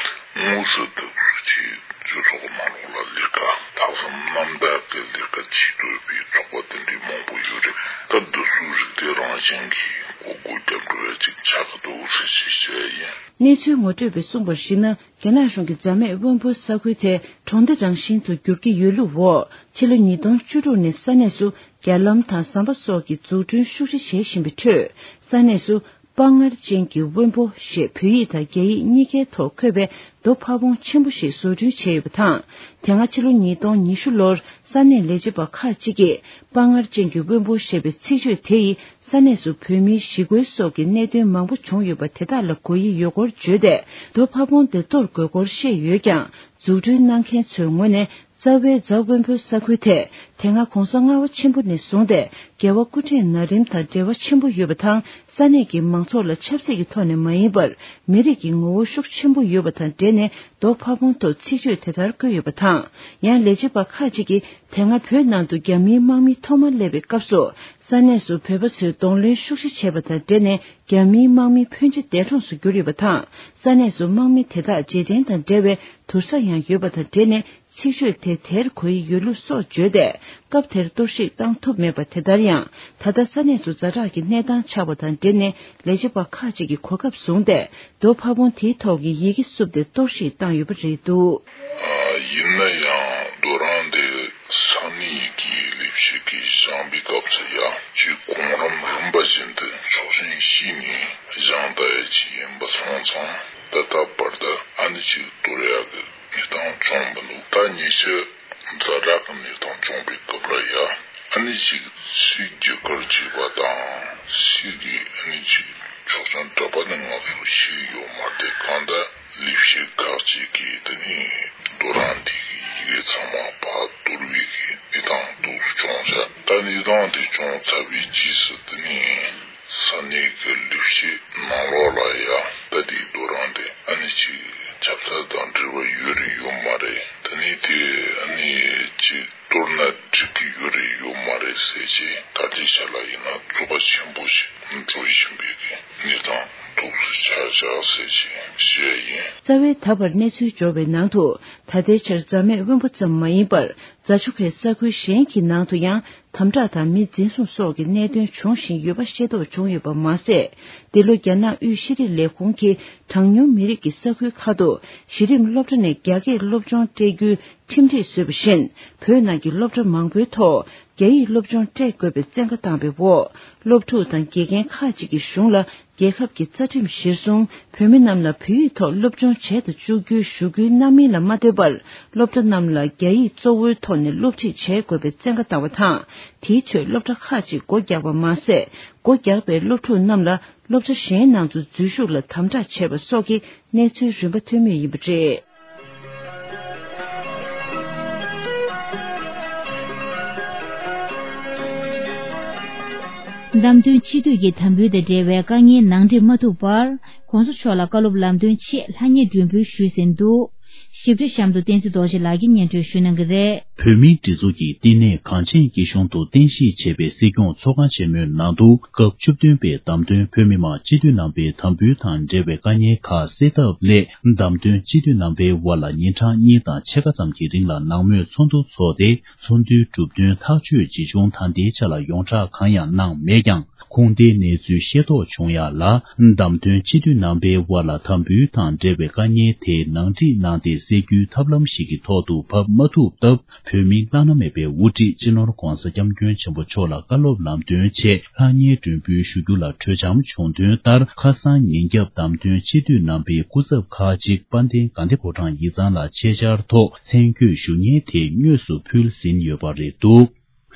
དངོས་སུ་དུ་ཅིག་སྤྱི་ཚོགས་ནང་ལོགས་ལ་ལས་ཀ་ལྷག་བསམ་རྣམ་དག་གི་ལས་ཀ་བྱེད་འདོད་པའི་ཚོགས་པ་དེ་འདྲའི་མང་པོ་ཡོད་རེད། ད་འདི་ཚོའི་རིགས་དེ་རང་བཞིན་གྱིས་སྒོ་སྒོ་རྒྱབ་འགྲོ་ཡ་ཅིག་ཆགས་ཀྱི་འདུག་ཟེར་ཅིག་བཤད་ཡིན། གནས་ཚུལ་ངོ་སྤྲོད་པས་གསུངས་པར་གཞིགས་ན། རྒྱ་ནག་གཞུང་གིས་རྩ་མེད་དབོན་པོ་ས་ཁུལ་དེ་གྲོང་སྡེ་རང་བཞིན་དུ་འགྱུར་གྱི་ཡོད་ལུགས་འོག་ཕྱི་ལོ་ཉིས་སྟོང་བཅུ་དྲུག་ནས་ས་གནས་སུ་རྒྱ་ལམ་དང་ཟམ་པ་སོགས་ཀྱི་འཛུགས་སྐྲུན་ཤུགས་ཆེ་བྱེད་བཞིན་པའི་ཁྲོད། ས་གནས་སུ་དཔའ་ངར་ཅན་གྱི་དབོན་པོ་ཞེས་བོད་ཡིག་དང་རྒྱ་ཡིག་གཉིས་ཀའི་ཐོག་འཁོད་པའི་རྡོ་ཕ་བོང་ཆེན་པོ་ཞིག་བཟོ་སྐྲུན་བྱས་ཡོད་པ་དང་། དེ་སྔ་ཕྱི་ལོ་ཉིས་སྟོང་ཉི་ཤུ་ལོར་ས་གནས་ལས་བྱེད་པ་ཁག་ཅིག་གིས་དཔའ་ངར་ཅན་གྱི་དབོན་པོ་ཞེས་པའི་ཚིག་བརྗོད་དེ་ཡིས་ས་གནས་སུ་བོད་མིའི་ཞི་རྒོལ་སོགས་ཀྱི་གནད་དོན་མང་པོ་བྱུང་ཡོད་པ་དེ་དག་ལ་གོ་ཡི་ཡོད་སྐོར་བརྗོད་དེ། རྡོ་ཕ་བོང་དེ་གཏོར་དགོས་སྐོར་བཤད་ཡོད་ཀྱང་། འཛུགས་སྐྲུན་གནང་མཁན་ཚོའི་ངོས་ནས། རྩ་བའི་རྫ་དབོན་པོའི་ས་ཁུལ་དེ་དེ་སྔ་གོང་ས་ལྔ་པ་ཆེན་པོ་ནས་བཟུང་སྟེ་རྒྱལ་བ་སྐུ་ཕྲེང་ན་རིམ་དང་འབྲེལ་བ་ཆེན་པོ་ཡོད་པ་དང་། ས་གནས་ཀྱི་མང་ཚོགས་ལ་ཆབ་སྲིད་ཀྱི་ཐོག་ནས་མ་ཡིན་པར་མི་རིགས་ཀྱི་ངོ་བོ་ཤུགས་ཆེན་པོ་ཡོད་པ་དང་འབྲེལ་ནས་རྡོ་ཕ་བོང་ཐོག་ཚིག་བརྗོད་དེ་ལྟར་བཀོད་ཡོད་པ་དང་། ཡང་ལས་བྱེད་པ་ཁག་ཅིག་གིས་དེ་སྔ་བོད་ནང་དུ་རྒྱ་མིའི་དམག་མི་ཐོག་མར་སླེབས་པའི་སྐབས་སུ། ས་གནས་སུ་བོད་པ་ཚོས་གདོང་ལེན་ཤུགས་ཆེ་བྱས་པ་དང་འབྲེལ་ནས་རྒྱ་མིའི་དམག་མི་ཕོན་ཆེ་འདས་གྲོངས་སུ་གྱུར་ཡོད་པ་དང་། ས་གནས་སུ་དམག་མི་དེ་དག་རྗེས་དྲན་དང་འབྲེལ་བའི་དུར་ས་ཡང་ཡོད་པ་དང་འབྲེལ་ནས། ཚིག་བརྗོད་དེ་དེར་གོ་ཡི་ཡོད་ལུགས་སོགས་བརྗོད་དེ། སྐབས་དེར་གཏོར་བཤིག་བཏང་ཐུབ་མེད་པ་དེ་ལྟར་ཡང་། ད་ལྟ་ས་གནས་སུ་ཛ་དྲག་གི་གནས་སྟངས་ཆགས་པ་དང་འབྲེལ་ནས་ལས་བྱེད་པ་ཁག་ཅིག་གིས་གོ་སྐབས་བཟུང་སྟེ། རྡོ་ཕ་བོང་དེའི་ཐོག་གི་ཡི་གེ་བསུབས་ཏེ་གཏོར་བཤིག་བཏང་ཡོད་པ་རེད་འདུག། ཡིན་ན་ཡང་རྡོ་རིང་དེ་ས་གནས་ཀྱི་ལས་བྱེད་ཀྱིས་བཞེངས་པའི་སྐབས་སུ་ཡང་ཅིག་གོང་རིམ་རིམ་པ་བཞིན་དུ་ཆོག་མཆན་ཞུས་ནས་བཞེངས་བསྡད་ཡ་ཅིག་ཡིན་པ་སོང་ཙང་། ད་ལྟ་བར་དུ་ཨ་ནི་ཅིག་གཏོར་ཡག་གི་གནས་སྟངས་བྱུང་མི་འདུག། ད་ཉེ་ཆར་ཛ་དྲག་གི་གནས་སྟངས་བྱུང་བའི་སྐབས་ལ་ཡ། ཨ་ནི་ཅིག་སུས་བརྒྱུད་སྐུར་བྱས་པ་དང་། སུས་ཀྱིས་ཨ་ནི་ཅིག་ཆོག་མཆན་སྤྲད་པ་ནི་ང་ཚོ་ཤེས་ཡོད་མ་རེད། གང་ལྟར་ལས་བྱེད་ཁག་ཅིག་གིས་དེ་ནི་རྡོ་རིང་དེ་གི་ཡི་གེ་ཚང་མ་ཕར་གཏོར་བའི་གི་གནས་སྟངས་འདུག་བྱུང་ཤག། ད་གནས་སྟངས་དེ་བྱུང་ཚར་བའི་རྗེས་སུ་དེ་ནི། ས་གནས་ཀྱི་ལས་བྱེད་ནང་ལོགས་ལ་ཡང་ད་ལྟའི་རྡོ་རིང་དེ་ཨ་ནི་ཅིག་ཆབ་སྲིད་དང་འབྲེལ་བ་ཡོད་རེད་ཡོད་མ་རེད། དེ་ནས་དེ་ཨ་ནི་ཅིག་གཏོར་ན་འགྲིག་གི་ཡོད་རེད་ཡོད་མ་རེད་ཟེར་བྱས་ད་ལྟའི་ཆ་ལ་ཡིན་ན་རྩོད་པ་ཆེན་པོ་ཞིག་འགྲོ་བཞིན་པའི་གི་གནས་སྟངས་འདུག་སེ་ཆགས་བཞག་ཟེར་བྱས་བཤད་ཡིན། རྩ་བའི་ད་བར་གནས་ཚུལ་འབྱོར་བའི་ནང་དུ་ད་ལྟའི་ཆར་རྫ་སྨད་དབོན་པོ་ཙམ་མ་ཡིན་པར། རྫ་ཆུ་ཁའི་ས་ཁུལ་གཞན་གྱི་ནང་དུ་ཡང་དམ་དྲག་དང་མི་འཛིན་བཟུང་སོགས་ཀྱི་གནད་དོན་འབྱུང་བཞིན་ཡོད་པ་ཤེས་རྟོགས་བྱུང་ཡོད་པ་མ་ཟད། འདི་ལོ་རྒྱ་ནག་དབུས་ཤེས་རིག་ལས་ཁུངས་ཀྱིས་གྲངས་ཉུང་མི་རིགས་ཀྱི་ས་ཁུལ་ཁག་ཏུ་གཞི་རིམ་སློབ་གྲྭ་ནས་རྒྱ་སྐད་སློབ་སྦྱོང་སྤྲད་རྒྱུའི་ཁྲིམས་སྒྲིག་བཟོས་པ་བཞིན། བོད་ནང་གི་སློབ་གྲྭ་མང་པོའི་ཐོག་རྒྱ་ཡིག་སློབ་སྦྱོང་སྤྲད་དགོས་པའི་བཙན་བཀའ་བཏང་བའི་འོག་སློབ་ཕྲུག་དང་དགེ་རྒན་ཁག་ཅིག་གིས་གཞུང་ལ། རྒྱལ་ཁབ་ཀྱི་རྩ་ཁྲིམས་གཞིར་བཟུང་བོད་མི་རྣམས་ལ་བོད་ཡིག་ཐོག་སློབ་སྦྱོང་བྱེད་དུ་བཅུག་རྒྱུའི་ཞུ་སྐུལ་གནང་མིན་ལ་མ་ལྟོས་པར། སློབ་གྲྭ་རྣམས་ལ་རྒྱ་ཡིག་གཙོ་བོའི་ཐོག་ནས་སློབ་ཁྲིད་བྱེད་དགོས་པའི་བཙན་བཀའ་བཏང་བ་དང་། དེའི་ཁྲོད་སློབ་གྲྭ་ཁག་ཅིག་སྒོ་རྒྱག་པ་མ་ཟད། སྒོ་རྒྱག་པའི་སློབ་ཕྲུག་རྣམས་ལ་སློབ་གྲྭ་གཞན་ནང་དུ་འཛུལ་ཞུགས་ལ་དམ་དྲག་བྱས་པ་སོགས་ཀྱི་གནས་ཚུལ་རིམ་པ་ཐོན་མུས་ཡིན་པ་རེད། བདམས་ཐོན་སྤྱི་འཐུས་ཀྱི་དམ་འབུལ་དང་འབྲེལ་བའི་དཀའ་ངལ་ནང་འགྲིག་མ་ཐུབ་པར། ྋགོང་ས་མཆོག་ལ་བཀའ་སློབ་ལམ་སྟོན་ཆེད་ལྷ་ཉེ་སྒྲོན་འབུལ་ཞུས་ཟིན་འདུག། ཞིབ་ཕྲ་གཤམ་དུ་བསྟན་འཛིན་རྡོ་རྗེ་ལགས་ཀྱིས་སྙན་སྒྲོན་ཞུ་གནང་གི་རེད། བོད་མིའི་སྒྲིག་འཛུགས་ཀྱི་བསྟི་གནས་གངས་ཅན་སྐྱིད་གཤོངས་དུ་རྟེན་གཞི་བྱས་པའི་སྲིད་སྐྱོང་ཚོགས་ཁང་ཆེན་མོའི་ནང་དུ་སྐབས་བཅུ་བདུན་པའི་བདམས་ཐོན་བོད་མི་མང་སྤྱི་འཐུས་རྣམ་པའི་དམ་འབུལ་དང་འབྲེལ་བའི་དཀའ་ཉེན་ཁག་སེལ་ཐབས་སླད། བདམས་ཐོན་སྤྱི་འཐུས་རྣམ་པའི་དབར་ལ་ཉིན་གྲངས་གཉིས་དང་ཕྱེད་ཀ་ཙམ་གྱི་རིང་ལ་ནང་མོལ་ཚོགས་འདུ་འཚོགས་ཏེ། ཚོགས་འདུའི་གྲུབ་དོན་ཐག་གཅོད་ཇི་བྱུང་ད་ལྟའི་ཆ་ལ་ཡོངས་གྲགས་གང་ཡང་གནང་མེད་ཀྱང་། ཁུངས་ལྡན་གནས་ཚུལ་ཤེས་རྟོགས་བྱུང་ཡག་ལ། བདམས་ཐོན་སྤྱི་འཐུས་རྣམ་པའི་དབར་ལ་དམ་འབུལ་དང་འབྲེལ་བའི་དཀའ་ངལ་དེ་ནང་འགྲིག་གནང་སྟེ་སེལ་རྒྱུའི་ཐབས་ལམ་ཞིག་གི་ཐོག་ཏུ་བབས་མ་ཐུབ་སྟབས། བོད་མིའི་བླ་ན་མེད་པའི་དབུ་ཁྲིད་སྤྱི་ནོར་༧གོང་ས་༧སྐྱབས་མགོན་ཆེན་པོ་མཆོག་ལ་བཀའ་སློབ་ལམ་སྟོན་ཆེད་ལྷང་ངེར་མགྲོན་འབོད་ཞུ་རྒྱུ་ལ་གྲོས་འཆམ་བྱུང་དོན་ལྟར། ཁ་སང་ཉིན་རྒྱབ་བདམས་ཐོན་སྤྱི་འཐུས་རྣམ་པའི་སྐུ་ཚབ་ཁག་ཅིག་དཔལ་ལྡན་དགའ་ལྡན་ཕོ་བྲང་ཡིག་ཚང་ལ་ཆེད་བཅར་ཐོག་མཚན་བརྒྱུད་ཞུ་སྙན་དེ་དངོས་སུ་ཕུལ་ཟིན་ཡོད་པ་རེད་འདུག་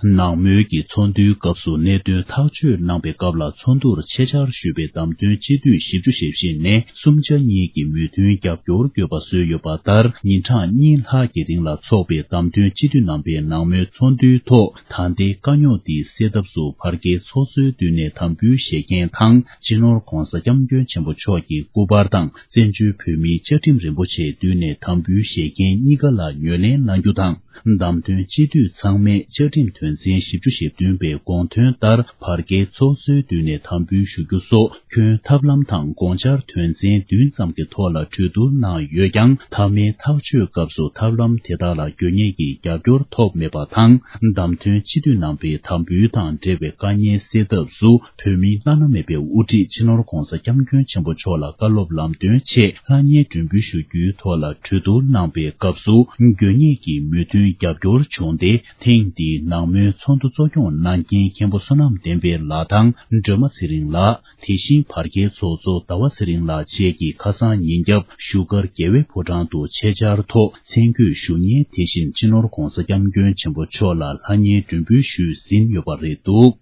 ནང་མོལ་གྱི་ཚོགས་འདུའི་སྐབས་སུ་གནད་དོན་ཐག་གཅོད་གནང་པའི་སྐབས་ལ། ཚོགས་འདུར་ཆེད་བཅར་ཞུས་པའི་བདམས་ཐོན་སྤྱི་འཐུས་བཞི་བཅུ་ཞེ་བཞི་ནས་སུམ་ཆ་གཉིས་ཀྱིས་མོས་མཐུན་རྒྱབ་སྐྱོར་དགོས་པ་བཟོས་ཡོད་པ་ལྟར། ཉིན་གྲངས་གཉིས་ལྷག་གི་རིང་ལ་འཚོགས་པའི་བདམས་ཐོན་སྤྱི་འཐུས་རྣམ་པའི་ནང་མོལ་ཚོགས་འདུའི་ཐོག་ད་ལྟའི་དཀའ་རྙོག་འདི་སེལ་ཐབས་སུ་བར་བརྒལ་ཚོགས་གཙོའི་མདུན་ནས་དམ་འབུལ་བཞེས་མཁན་དང་། སྤྱི་ནོར་༧གོང་ས་༧སྐྱབས་མགོན་ཆེན་པོ་མཆོག་གི་སྐུ་པར་དང་། བཙན་བྱོལ་བོད་མིའི་བཅའ་ཁྲིམས་རིན་པོ་ཆེའི་མདུན་ནས་དམ་འབུལ་བཞེས་མཁན་གཉིས་ཀ་ལ་ངོས་ལེན་གནང་རྒྱུ་དང་། བདམས་ཐོན་སྤྱི་འཐུས་ཚང་མས་བཅའ་ཁྲིམས་དོན་ཚན་བཞི་བཅུ་ཞེ་བདུན་པའི་དགོངས་དོན་ལྟར་བར་བརྒལ་ཚོགས་གཙོའི་མདུན་ནས་དམ་འབུལ་ཞུ་རྒྱུ་སོགས་ཁྱོན་ཐབས་ལམ་དང་དགོངས་འཆར་དོན་ཚན་བདུན་ཙམ་གྱི་ཐོག་ལ་གྲོས་བསྡུར་གནང་ཡོད་ཀྱང་། མཐའ་མའི་ཐག་གཅོད་སྐབས་སུ་ཐབས་ལམ་དེ་དག་ལ་དགོས་ངེས་ཀྱི་རྒྱབ་སྐྱོར་ཐོབ་མེད་པ་དང་། བདམས་ཐོན་སྤྱི་འཐུས་རྣམ་པའི་དམ་འབུལ་དང་འབྲེལ་བའི་དཀའ་ངལ་སེལ་ཐབས་སུ། བོད་མིའི་བླ་ན་མེད་པའི་དབུ་ཁྲིད་སྤྱི་ནོར་༧གོང་ས་༧སྐྱབས་མགོན་ཆེན་པོ་མཆོག་ལ་བཀའ་སློབ་ལམ་སྟོན་ཆེད་ལྷང་ངེར་མགྲོན་འབོད་ཞུ་རྒྱུའི་ཐོག་ལ་གྲོས་བསྡུར་གནང་པའི་སྐབས་སུ། དགོས་ངེས་ཀྱི་མོས་མཐུན་རྒྱབ་སྐྱོར་བྱུང་སྟེ། ཐེངས་འདིའི་ནང་མོལ་ཚོགས་འདུ་གཙོ་སྐྱོང་གནང་མཁན་མཁན་པོ་བསོད་ནམས་བསྟན་འཕེལ་ལགས་དང་། སྒྲོལ་མ་ཚེ་རིང་ལགས། དེ་བཞིན་བར་བརྒལ་ཚོགས་གཙོ་ཟླ་བ་ཚེ་རིང་ལགས་བཅས་ཀྱིས་ཁ་སང་ཉིན་རྒྱབ་བཞུགས་སྒར་རྒྱལ་བའི་ཕོ་བྲང་དུ་ཆེད་བཅར་ཐོག་མཚན་བརྒྱུད་ཞུ་སྙན་དེ་བཞིན་སྤྱི་ནོར་༧གོང་ས་༧སྐྱབས་མགོན་ཆེན་པོ་མཆོག་ལ་ལྷང་ངེར་མགྲོན་འབོད་ཞུས་ཟིན་ཡོད་པ་རེད་འདུག་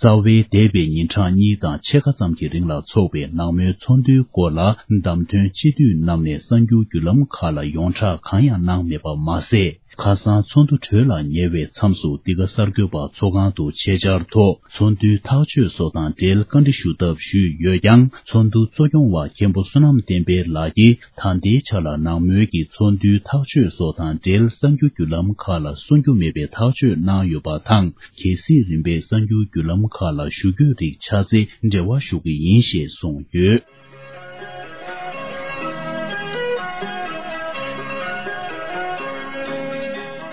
རྩ་བའི་འདས་པའི་ཉིན་གྲངས་གཉིས་དང་ཕྱེད་ཀ་ཙམ་གྱི་རིང་ལ་འཚོགས་པའི་ནང་མོལ་ཚོགས་འདུའི་སྐོར་ལ། བདམས་ཐོན་སྤྱི་འཐུས་རྣམས་ནས་གསར་འགྱུར་བརྒྱུད་ལམ་ཁག་ལ་ཡོངས་གྲགས་གང་ཡང་གནང་མེད་པ་མ་ཟད། ཁ་སང་ཚོགས་འདུ་གྲོལ་ལ་ཉེ་བའི་མཚམས་སུ། འདི་ག་གསར་འགོད་པ་ཚོགས་ཁང་དུ་ཆེད་བཅར་ཐོག་ཚོགས་འདུའི་ཐག་གཅོད་སོགས་དང་འབྲེལ་བཀའ་འདྲི་ཞུ་ཐབས་ཞུས་ཡོད་ཀྱང་། ཚོགས་འདུ་གཙོ་སྐྱོང་བ་མཁན་པོ་བསོད་ནམས་བསྟན་འཕེལ་ལགས་ཀྱིས། ད་ལྟའི་ཆ་ལ་ནང་མོལ་གྱི་ཚོགས་འདུའི་ཐག་གཅོད་སོགས་དང་འབྲེལ། གསར་འགྱུར་བརྒྱུད་ལམ་ཁག་ལ་གསུང་རྒྱུ་མེད་པའི་ཐག་གཅོད་གནང་ཡོད་པ་དང་། གལ་སྲིད་རིམ་པས་གསར་འགྱུར་བརྒྱུད་ལམ་ཁག་ལ་ཞུ་རྒྱུ་རིགས་ཆགས་ཚེ། འབྲེལ་བ་ཞུ་གི་ཡིན་ཞེས་གསུངས་ཡོད།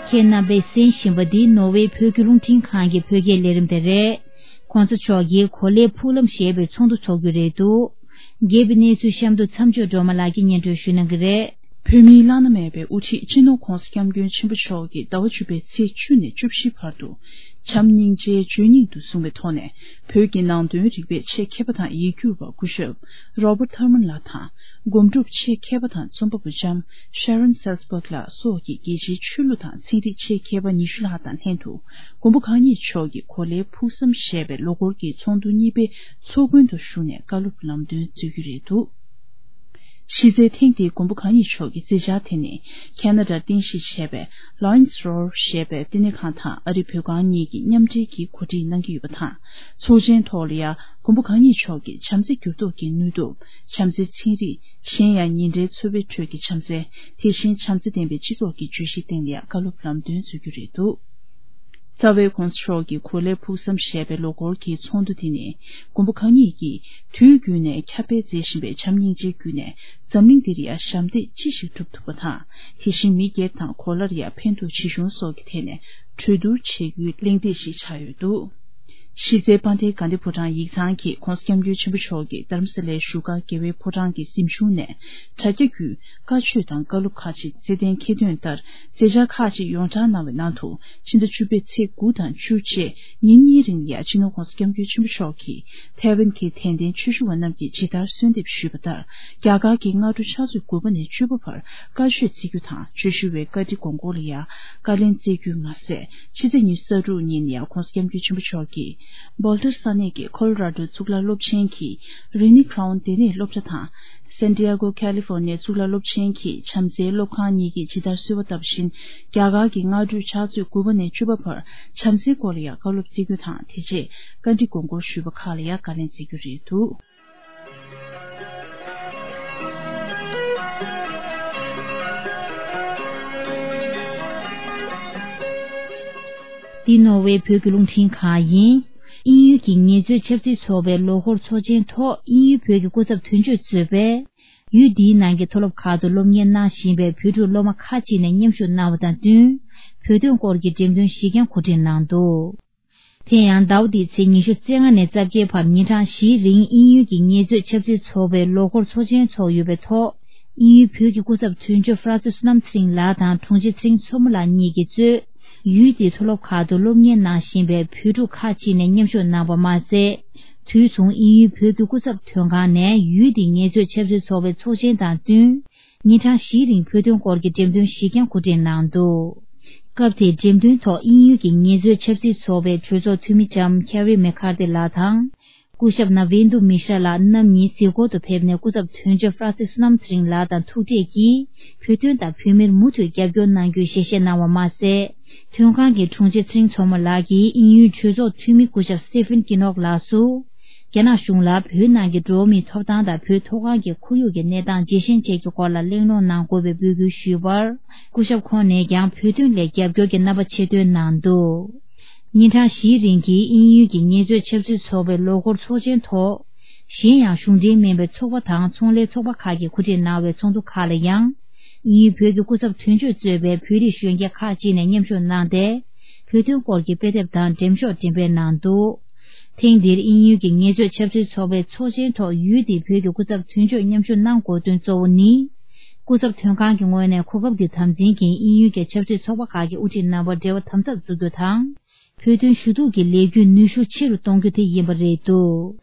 ཁྱེད་རྣམ་པས་གསན་བཞིན་པ་འདི་ནོར་ཝེ་བོད་ཀྱི་རླུང་འཕྲིན་ཁང་གི་བོད་སྐད་ལས་རིམ་དེ་རེད། ༸གོང་ས་མཆོག་གིས་གོ་ལའི་ཕུག་ལམ་ཞེས་པའི་ཚོགས་འདུ་འཚོགས་རྒྱུ་རེད་འདུག་རྒྱས་པའི་གནས་ཚུལ་གཤམ་དུ་མཚམས་སྦྱོར་སྒྲོལ་མ་ལགས་ཀྱིས་སྙན་སྒྲོན་ཞུ་གནང་གི་རེད། བོད་མིའི་བླ་ན་མེད་པའི་དབུ་ཁྲིད་སྤྱི་ནོར་༸གོང་ས་༸སྐྱབས་མགོན་ཆེན་པོ་མཆོག་གིས་ཟླ་བ་བཅུ་པའི་ཚེས་བཅུ་ནས་བཅུ་བཞི་བར་དུ། བྱམས་སྙིང་རྗེའི་བརྗོད་སྙིང་དུ་བཟུང་བའི་ཐོག་ནས། བོད་ཀྱི་ནང་དོན་རིག་པའི་ཆེད་མཁས་པ་དང་ཡིག་སྒྱུར་བ་སྐུ་ཞབས་Robert Thurman ལགས་དང་། སྒོམ་སྒྲུབ་ཆེད་མཁས་པ་དང་རྩོམ་པ་པོ་ལྕམ་Sharon Salzberg ལགས་སོགས་ཀྱི་རྒྱལ་སྤྱིའི་ཆོས་ལུགས་དང་ཚན་རིག་ཆེད་མཁས་པ་ཉི་ཤུ་ལྷག་དང་ལྷན་དུ། མགོན་པོ་གང་ཉིད་མཆོག་གི་གོ་ལའི་ཕུགས་བསམ་ཞེས་པའི་ལོ་འཁོར་གྱི་ཚོགས་འདུ་གཉིས་པའི་ཚོགས་མགོན་དུ་ཞུགས་ནས་བཀའ་སློབ་ལམ་སྟོན་སྩོལ་རྒྱུ་རེད་འདུག་གཞི་རྩའི་ཐེངས་འདིའི་མགོན་པོ་གང་ཉིད་མཆོག་གི་མཛད་འཆར་དེ་ནི། ཁེ་ན་ཌར་རྟེན་གཞི་བྱས་པའི་Lions Roar ཞེས་པའི་བསྟི་གནས་ཁང་དང་ཨ་རི་བོད་ཁང་གཉིས་ཀྱིས་མཉམ་འབྲེལ་གྱིས་གོ་སྒྲིག་གནང་གི་ཡོད་པ་དང་། ཚོགས་ཆེན་ཐོག་ལ་ཡང་མགོན་པོ་གང་ཉིད་མཆོག་གི་བྱམས་བརྩེ་འགྱུར་ལྡོག་གི་ནུས་སྟོབས། བྱམས་བརྩེའི་ཚན་རིག་གཞན་ཡང་ཉིན་རེའི་འཚོ་བའི་ཁྲོད་ཀྱི་བྱམས་བརྩེ། དེ་བཞིན་བྱམས་བརྩེ་ལྡན་པའི་སྤྱི་ཚོགས་ཀྱི་བརྗོད་གཞིའི་སྟེང་ལ་ཡང་བཀའ་སློབ་ལམ་སྟོན་སྩོལ་རྒྱུ་རེད་འདུག་རྩ་བའི་༸གོང་ས་མཆོག་གི་གོ་ལའི་ཕུགས་བསམ་ཞེས་པའི་ལོ་འཁོར་གྱི་ཚོགས་འདུ་དེ་ནི། མགོན་པོ་གང་ཉིད་ཀྱིས་དུས་རྒྱུན་ནས་ཁྱབ་སྤེལ་མཛད་བཞིན་པའི་བྱམས་སྙིང་རྗེའི་བརྒྱུད་ནས་འཛམ་གླིང་འདིར་ཡང་ཞབས་འདེགས་ཅི་ཞིག་སྒྲུབ་ཐུབ་པ་དང་། དེ་བཞིན་མི་སྒེར་དང་གོ་ལར་ཡང་ཕན་ཐོགས་ཇི་བྱུང་སོགས་ཀྱི་ཐད་ནས་གྲོས་བསྡུར་བྱེད་རྒྱུའི་གླེང་སྟེགས་ཤིག་ཆགས་ཡོད་འདུག་གཞི་རྩའི་དཔལ་ལྡན་དགའ་ལྡན་ཕོ་བྲང་ཡིག་ཚང་གིས་༸གོང་ས་༸སྐྱབས་མགོན་ཆེན་པོ་མཆོག་གིས་རྡ་རམ་ས་ལའི་བཞུགས་སྒར་རྒྱལ་བའི་ཕོ་བྲང་གི་གཟིམ་ཆུང་ནས་དྲ་རྒྱ་བརྒྱུད་བཀའ་ཆོས་དང་བཀའ་སློབ་ཁག་ཅིག་བརྩེ་ལྡན་ཁྱེད་དོན་ལྟར་མཛད་འཆར་ཁག་ཅིག་ཡོངས་བསྒྲགས་གནང་བའི་ནང་དུ། ཕྱི་ཟླ་བཅུ་པའི་ཚེས་དགུ་དང་བཅུ་བཅས་ཉིན་གཉིས་རིང་ལ་ཡང་སྤྱི་ནོར་༸གོང་ས་༸སྐྱབས་མགོན་ཆེན་པོ་མཆོག་གིས་ཐའེ་ཝན་གྱི་དད་ལྡན་ཆོས་ཞུ་བ་རྣམས་ཀྱིས་ཇི་ལྟར་གསོལ་འདེབས་ཞུས་པ་ལྟར། རྒྱ་གར་གྱི་སྔ་དྲོ་ཕྱག་ཚོད་དགུ་པ་ནས་བཅུ་པ་བར་བཀའ་ཆོས་བརྩི་རྒྱུ་དང་། ཆོས་ཞུ་བའི་བཀའ་ཁྲི་དགོངས་སྐོར་ལ་ཡང་བཀའ་ལན་སྩལ་རྒྱུ་མ་ཟད། ཕྱི་ཚེས་ཉི་ཤུ་རྩ་དྲུག་ཉིན་ཡང་༸གོང་ས་༸སྐྱབས་མགོན་ཆེན་པོ་མཆོག་གིས་སྦོལ་ཏར་ས་གནས་ཀྱི་ཁོ་ལོ་ར་ཌོ་གཙུག་ལག་སློབ་ཆེན་གྱི་རི་ནི་ཁྲའུན་ལྟེ་གནས་སློབ་གྲྭ་དང་། སན་ཏི་ཡ་གོ་ཁ་ལི་ཧྥོར་ནི་ཡའི་གཙུག་ལག་སློབ་ཆེན་གྱི་བྱམས་བརྩེའི་སློབ་ཁང་གཉིས་ཀྱིས་ཇི་ལྟར་གསོལ་བ་བཏབ་བཞིན། རྒྱ་གར་གྱི་སྔ་དྲོའི་ཕྱག་ཚོད་དགུ་པ་ནས་བཅུ་པ་བར་བྱམས་བརྩེའི་སྐོར་ལ་ཡང་བཀའ་སློབ་བརྩི་རྒྱུ་དང་། དེ་རྗེས་བཀའ་འདྲི་དགོངས་སྐོར་ཞུས་པ་ཁག་ལ་ཡང་བཀའ་ལན་སྩལ་རྒྱུ་རེད་འདུག་འདི་ནོར་ཝེ་བོད་ཀྱི་རླུང་འཕྲིན་ཁང་ཡིན། དབྱིན་ཡུལ་གྱི་ངལ་རྩོལ་ཆབ་སྲིད་ཚོགས་པའི་ལོ་འཁོར་ཚོགས་ཆེན་ཐོག་དབྱིན་ཡུལ་བོད་ཀྱི་སྐུ་ཚབ་དོན་གཅོད་གཙོས་པའི་ཡུལ་འདིའི་ནང་གི་མཐོ་སློབ་ཁག་ཏུ་སློབ་གཉེར་གནང་བཞིན་པའི་བོད་ཕྲུག་སློབ་མ་ཁག་ཅིག་ནས་མཉམ་ཞུགས་གནང་བ་དང་བསྟུན། བོད་དོན་སྐོར་གྱི་འགྲེམས་སྟོན་བཞི་བརྒྱ་གོ་སྒྲིག་གནང་འདུག་དེ་ཡང་ཟླ་བ་འདིའི་ཚེས་ཉི་ཤུ་རྩ་ལྔ་ནས་རྩ་བརྒྱད་བར་ཉིན་གྲངས་བཞིའི་རིང་དབྱིན་ཡུལ་གྱི་ངལ་རྩོལ་ཆབ་སྲིད་ཚོགས་པའི་ལོ་འཁོར་ཚོགས་ཆེན་ཚོགས་ཡོད་པའི་ཐོག་དབྱིན་ཡུལ་བོད་ཀྱི་སྐུ་ཚབ་དོན་གཅོད་ཧྥ་རན་སི་བསོད་ནམས་ཚེ་རིང་ལགས་དང་དྲུང་ཆེ་ཚེ་རིང་མཚོ་མོ་ལགས་གཉིས་ཀྱིས་གཙོས། ཡུལ་དེའི་མཐོ་སློབ་ཁག་ཏུ་སློབ་གཉེར་གནང་བཞིན་པའི་བོད་ཕྲུག་ཁག་ཅིག་ནས་མཉམ་ཞུགས་གནང་བ་མ་ཟད། དུས་མཚུངས་དབྱིན་ཡུལ་བོད་ཀྱི་སྐུ་ཚབ་དོན་ཁང་ནས་ཡུལ་དེའི་ངལ་རྩོལ་ཆབ་སྲིད་ཚོགས་པའི་ཚོགས་ཆེན་དང་བསྟུན། ཉིན་གྲངས་བཞིའི་རིང་བོད་དོན་སྐོར་གྱི་འགྲེམས་སྟོན་བཞི་བརྒྱ་གོ་སྒྲིག་གནང་འདུག་སྐབས་དེའི་འགྲེམས་སྟོན་ཐོག་དབྱིན་ཡུལ་གྱི་ངལ་རྩོལ་ཆབ་སྲིད་ཚོགས་པའི་གྲོས་ཚོགས་འཐུས་མི་ལྕམ་ཁེ་རི་མེ་ཁར་ཏི་ལགས་དང་། སྐུ་ཞབས་ན་བིན་དུ་མི་ཤྲ་ལགས་རྣམ་གཉིས་གཟིགས་སྐོར་དུ་ཕེབས་ནས་སྐུ་ཚབ་དོན་གཅོད་ཧྥ་རན་སི་བསོད་ནམས་ཚེ་རིང་ལགས་དང་ཐུག་འཕྲད་ཀྱིས་བོད་དོན་དང་བོད་མིར་མུ་མཐུད་རྒྱབ་སྐྱོར་གནང་རྒྱུའི་ཞལ་བཞེས་གནང་བ་མ་ཟད། དོན་ཁང་གི་དྲུང་ཆེ་ཚེ་རིང་མཚོ་མོ་ལགས་ཀྱིས་དབྱིན་ཡུལ་གྲོས་ཚོགས་འཐུས་མི་སྐུ་ཞབས་སི་ཏི་ཕིན་ཀི་ནོག་ལགས་སུ། རྒྱ་ནག་གཞུང་ལ་བོད་ནང་གི་འགྲོ་བ་མིའི་ཐོབ་ཐང་དང་བོད་མཐོ་སྒང་གི་ཁོར་ཡུག་གི་གནས་སྟངས་ཇེ་ཞན་བཅས་ཀྱི་སྐོར་ལ་གླེང་སློང་གནང་དགོས་པའི་འབོད་སྐུལ་ཞུས་པར། སྐུ་ཞབས་ཁོང་ནས་ཀྱང་བོད་དོན་སླད་རྒྱབ་སྐྱོར་གྱི་རྣམ་པ་ཆེ་འདོན་གནང་འདུག་ཉིན་གྲངས་བཞིའི་རིང་གི་དབྱིན་ཡུལ་གྱི་ངལ་རྩོལ་ཆབ་སྲིད་ཚོགས་པའི་ལོ་འཁོར་ཚོགས་ཆེན་ཐོག་གཞན་ཡང་གཞུང་འབྲེལ་མིན་པའི་ཚོགས་པ་དང་ཚོང་ལས་ཚོགས་པ་ཁག་གིས་གོ་སྒྲིག་གནང་བའི་ཚོགས་འདུ་ཁག་ལ་ཡང་། དབྱིན་ཡུལ་བོད་ཀྱི་སྐུ་ཚབ་དོན་གཅོད་གཙོས་པའི་བོད་རིགས་གཞོན་སྐྱེས་ཁག་ཅིག་ནས་མཉམ་ཞུགས་གནང་སྟེ། བོད་དོན་སྐོར་གྱི་དཔེ་དེབ་དང་འགྲེམས་ཤོག་འགྲེམས་སྤེལ་གནང་འདུག་ཐེངས་འདིར་དབྱིན་ཡུལ་གྱི་ངལ་རྩོལ་ཆབ་སྲིད་ཚོགས་པའི་ཚོགས་ཆེན་ཐོག་ཡུལ་དེའི་བོད་ཀྱི་སྐུ་ཚབ་དོན་གཅོད་མཉམ་ཞུགས་གནང་དགོས་དོན་གཙོ་བོ་ནི། སྐུ་ཚབ་དོན་ཁང་གི་ངོས་ནས་གོ་སྐབས་འདི་དམ་འཛིན་གྱིས་དབྱིན་ཡུལ་གྱི་ཆབ་སྲིད་ཚོགས་པ་ཁག་གིས་དབུ་ཁྲིད་གནང་བར་འབྲེལ་བ་དམ་ཟབ་བཙུགས་རྒྱུ་དང་། བོད་དོན་ཞུ་གཏུག་གི་ལས་འགུལ་ནུས་ཤུགས་ཆེ་རུ་གཏོང་རྒྱུ་དེ་ཡིན་པ་རེད་འདུག་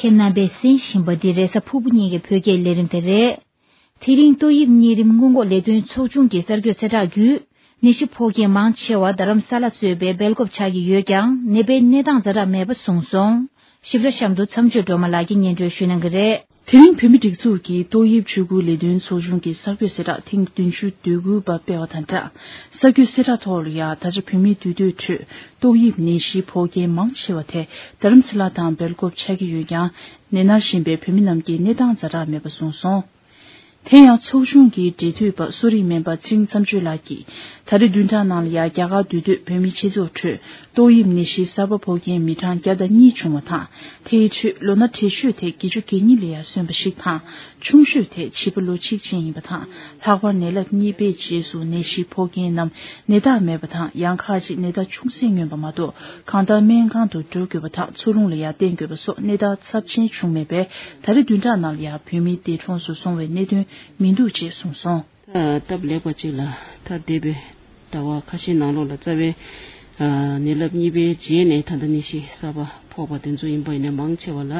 ཁྱེད་རྣམ་པས་གསན་བཞིན་པ་འདི་རེས་གཟའ་ཕུར་བུ་ཉིན་གྱི་བོད་སྐད་ལས་རིམ་དེ་རེད། དེ་རིང་ཏོག་དབྱིབས་གཉན་རིམས་སྔོན་འགོག་ལས་དོན་ཚོགས་ཆུང་གི་གསར་འགོད་གསལ་བསྒྲགས་བརྒྱུད། ནད་གཞི་ཕོག་མཁན་མང་ཆེ་བ་རྡ་རམ་ས་ལ་གཙོས་པའི་སྦེལ་ཀོབ་ཆགས་ཀྱི་ཡོད་ཀྱང་ནད་པའི་གནས་སྟངས་ཛ་དྲག་མེད་པ་གསུངས་སོང་། ཞིབ་ཕྲ་གཤམ་དུ་མཚམས་གཅོད་སྒྲོལ་མ་ལགས་ཀྱིས་སྙན་སྒྲོན་ཞུ་གནང་གི་རེད། དེ་རིང་བོད་མི་སྒྲིག་འཛུགས་ཀྱི་ཏོག་དབྱིབས་ཆུ་ཁུལ་ལས་དོན་ཚོགས་ཆུང་གི་གསར་འགོད་གསལ་བསྒྲགས་ཐེངས་བདུན་ཅུ་དོན་དགུ་པ་སྤེལ་བ་དང་སྦྲགས། གསར་འགོད་གསལ་བསྒྲགས་ཐོག་ལ་ཡང་ད་ཆ་བོད་མིའི་འདུས་སྡོད་ཁྲོད་ཏོག་དབྱིབས་ནད་གཞི་ཕོག་མཁན་མང་ཆེ་བ་དེ་རྡ་རམ་ས་ལ་དང་སྦེལ་ཀོབ་ཆགས་ཀྱི་ཡོད་ཀྱང་ནད་ན་བཞིན་པའི་བོད་མི་རྣམས་ཀྱི་གནས་སྟངས་ཛ་དྲག་མེད་པ་གསུངས་སོང་། དེ་ཡང་ཚོགས་ཆུང་གི་འབྲེལ་མཐུད་པ་གསོ་རིག་སྨན་པ་ཚེ་རིང་མཚམས་གཅོད་ལགས་ཀྱིས་ད་རེས་བདུན་ཕྲག་ནང་ལ་ཡང་རྒྱ་གར་འདུས་སྡོད་བོད་མིའི་སྤྱི་ཚོགས་ཁྲོད་ཏོག་དབྱིབས་ནད་གཞི་གསར་པ་ཕོག་མཁན་མི་གྲངས་བརྒྱ་དང་གཉིས་བྱུང་བ་དང་། དེའི་ཁྲོད་ལོ་ན་བགྲེས་ཤོས་དེ་བརྒྱད་ཅུ་གྱ་གཉིས་ལ་ཡང་སོན་པ་ཞིག་དང་། ཆུང་ཤོས་དེ་བྱིས་པ་ལོ་གཅིག་ཅན་ཡིན་པ་དང་། ལྷག་པར་ནད་རླབས་གཉིས་པའི་རྗེས་སུ་ནད་གཞི་ཕོག་མཁན་རྣམས་ནད་རྟགས་མེད་པ་དང་། ཡང་ཁག་ཅིག་ནད་རྟགས་ཆུང་ཟད་མངོན་པ་མ་གཏོགས་གང་ལྟར་སྨན་ཁང་དུ་འགྲོ་དགོས་པ་དང་། འཚོ་རླུང་ལ་ཡང་བརྟེན་དགོས་པ་སོགས་གནས་སྟངས་ཚབས་ཆེན་བྱུང་མེད་པས། ད་རེས་བདུན་ཕྲག་ནང་ལ་ཡང་བོད་མི་འདས་གྲོངས་སུ་སོང་བའི་གནད་དོན་མི་འདུག་ཅེས་གསུངས་སོང་། སྟབས་ལེགས་པ་ཅིག་ལ་ད་འདས་པའི་ཟླ་བ་ཁ་ཤས་ནང་ལོགས་ལ་རྩ་བའི་ནད་རླབས་གཉིས་པའི་རྗེས་ནས་ད་ལྟ་ནད་གཞི་གསར་པ་ཕོག་པ་དེ་ཚོ་ཡིན་པ་ཡིན་ན་མང་ཆེ་བ་ལ་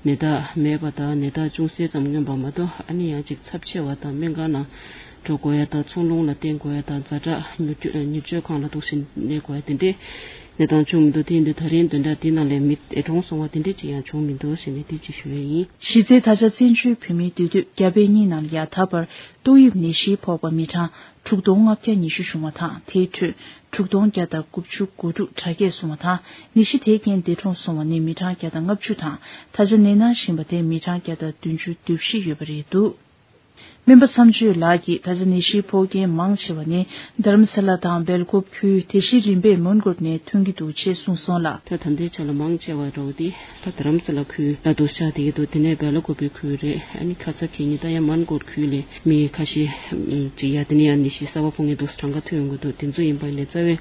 ནད་རྟགས་མེད་པ་དང་ནད་རྟགས་ཅུང་ཟད་ཙམ་མངོན་པ་མ་གཏོགས། ཨ་ནི་ཡང་ཅིག་ཚབས་ཆེ་བ་དང་སྨན་ཁང་ནང་འགྲོ་དགོས་ཡ་དང་། འཚོ་རླུང་ལ་བརྟེན་དགོས་ཡ་དང་། ཛ་དྲག་མྱུར་སྐྱོབ་མྱུར་སྐྱོབ་ཁང་ལ་འདུག་སེ་གནས་དགོས་ཡ་དེ་འདྲས་གནས་སྟངས་བྱུང་མི་འདུག་དེ་ཡིན་དུས་ད་རིང་བདུན་ཕྲག་འདི་ནང་ལ་མི་འདས་གྲོངས་སོང་བ་དེ་འདྲས་ཅིག་ཡང་བྱུང་མི་འདུག་ཟེར་ནས་དེ་ཅིག་ཞུ་ཡ་ཡིན། གཞི་རྩའི་ད་ཆ་བཙན་བྱོལ་བོད་མིའི་འདུས་སྡོད་རྒྱ་བལ་གཉིས་ནང་ལ་ཡང་ད་བར་ཏོག་དབྱིབས་ནད་གཞི་ཕོག་པ་མི་གྲངས་དྲུག་སྟོང་ལྔ་བརྒྱ་ཉི་ཤུ་བྱུང་བ་དང་། དེའི་ཁྲོད་དྲུག་སྟོང་བརྒྱ་དང་དགུ་བཅུ་གོ་དྲུག་དྲག་སྐྱེད་སོང་བ་དང་། ནད་གཞི་དེ་རྐྱེན་འདས་གྲོངས་སོང་བ་ནི་མི་གྲངས་བརྒྱ་དང་ལྔ་བཅུ་དང་། ད་ཆ་ནད་ན་བཞིན་པ་དེ་མི་གྲངས་བརྒྱ་དང་བདུན་ཅུ་དོན་བཞི་ཡོད་པ་རེད་འདུག་སྨན་པ་མཚམས་གཅོད་ལགས་ཀྱིས་ད་ཆ་ནད་གཞི་ཕོག་མཁན་མང་ཆེ་བ་ནི་རྡ་རམ་ས་ལ་དང་སྦེལ་ཀོབ་ཁུལ། དེ་བཞིན་རིམ་པས་མོན་གྷོ་ནས་ཐོན་གྱི་འདུག་ཅེས་གསུངས་སོང་ལ། ད་ད་ལྟའི་ཆ་ལ་མང་ཆེ་བ་འདྲ་བོ་དེ་ད་རྡ་རམ་ས་ལ་ཁུལ་ལ་འདུག་ཤག་དེ་གི་འདུག་དེ་ནས་སྦེལ་ཀོབ་པའི་ཁུལ་རེད། ཨ་ནི་ཁ་ས་གད་སྙིགས་ད་ཡང་མོན་གྷོ་ཁུལ་ལས་མི་ཁ་ཤས་ཅིག་ཡ་དེ་ནས་ཡང་ནད་གཞི་གསར་པ་ཕོག་མཁན་འདུག་གྲངས་ཀ་ཐོན་ཡོང་གི་འདུག་དེ་ཚོ་ཡིན་པ་ནས་རྩ་བའི་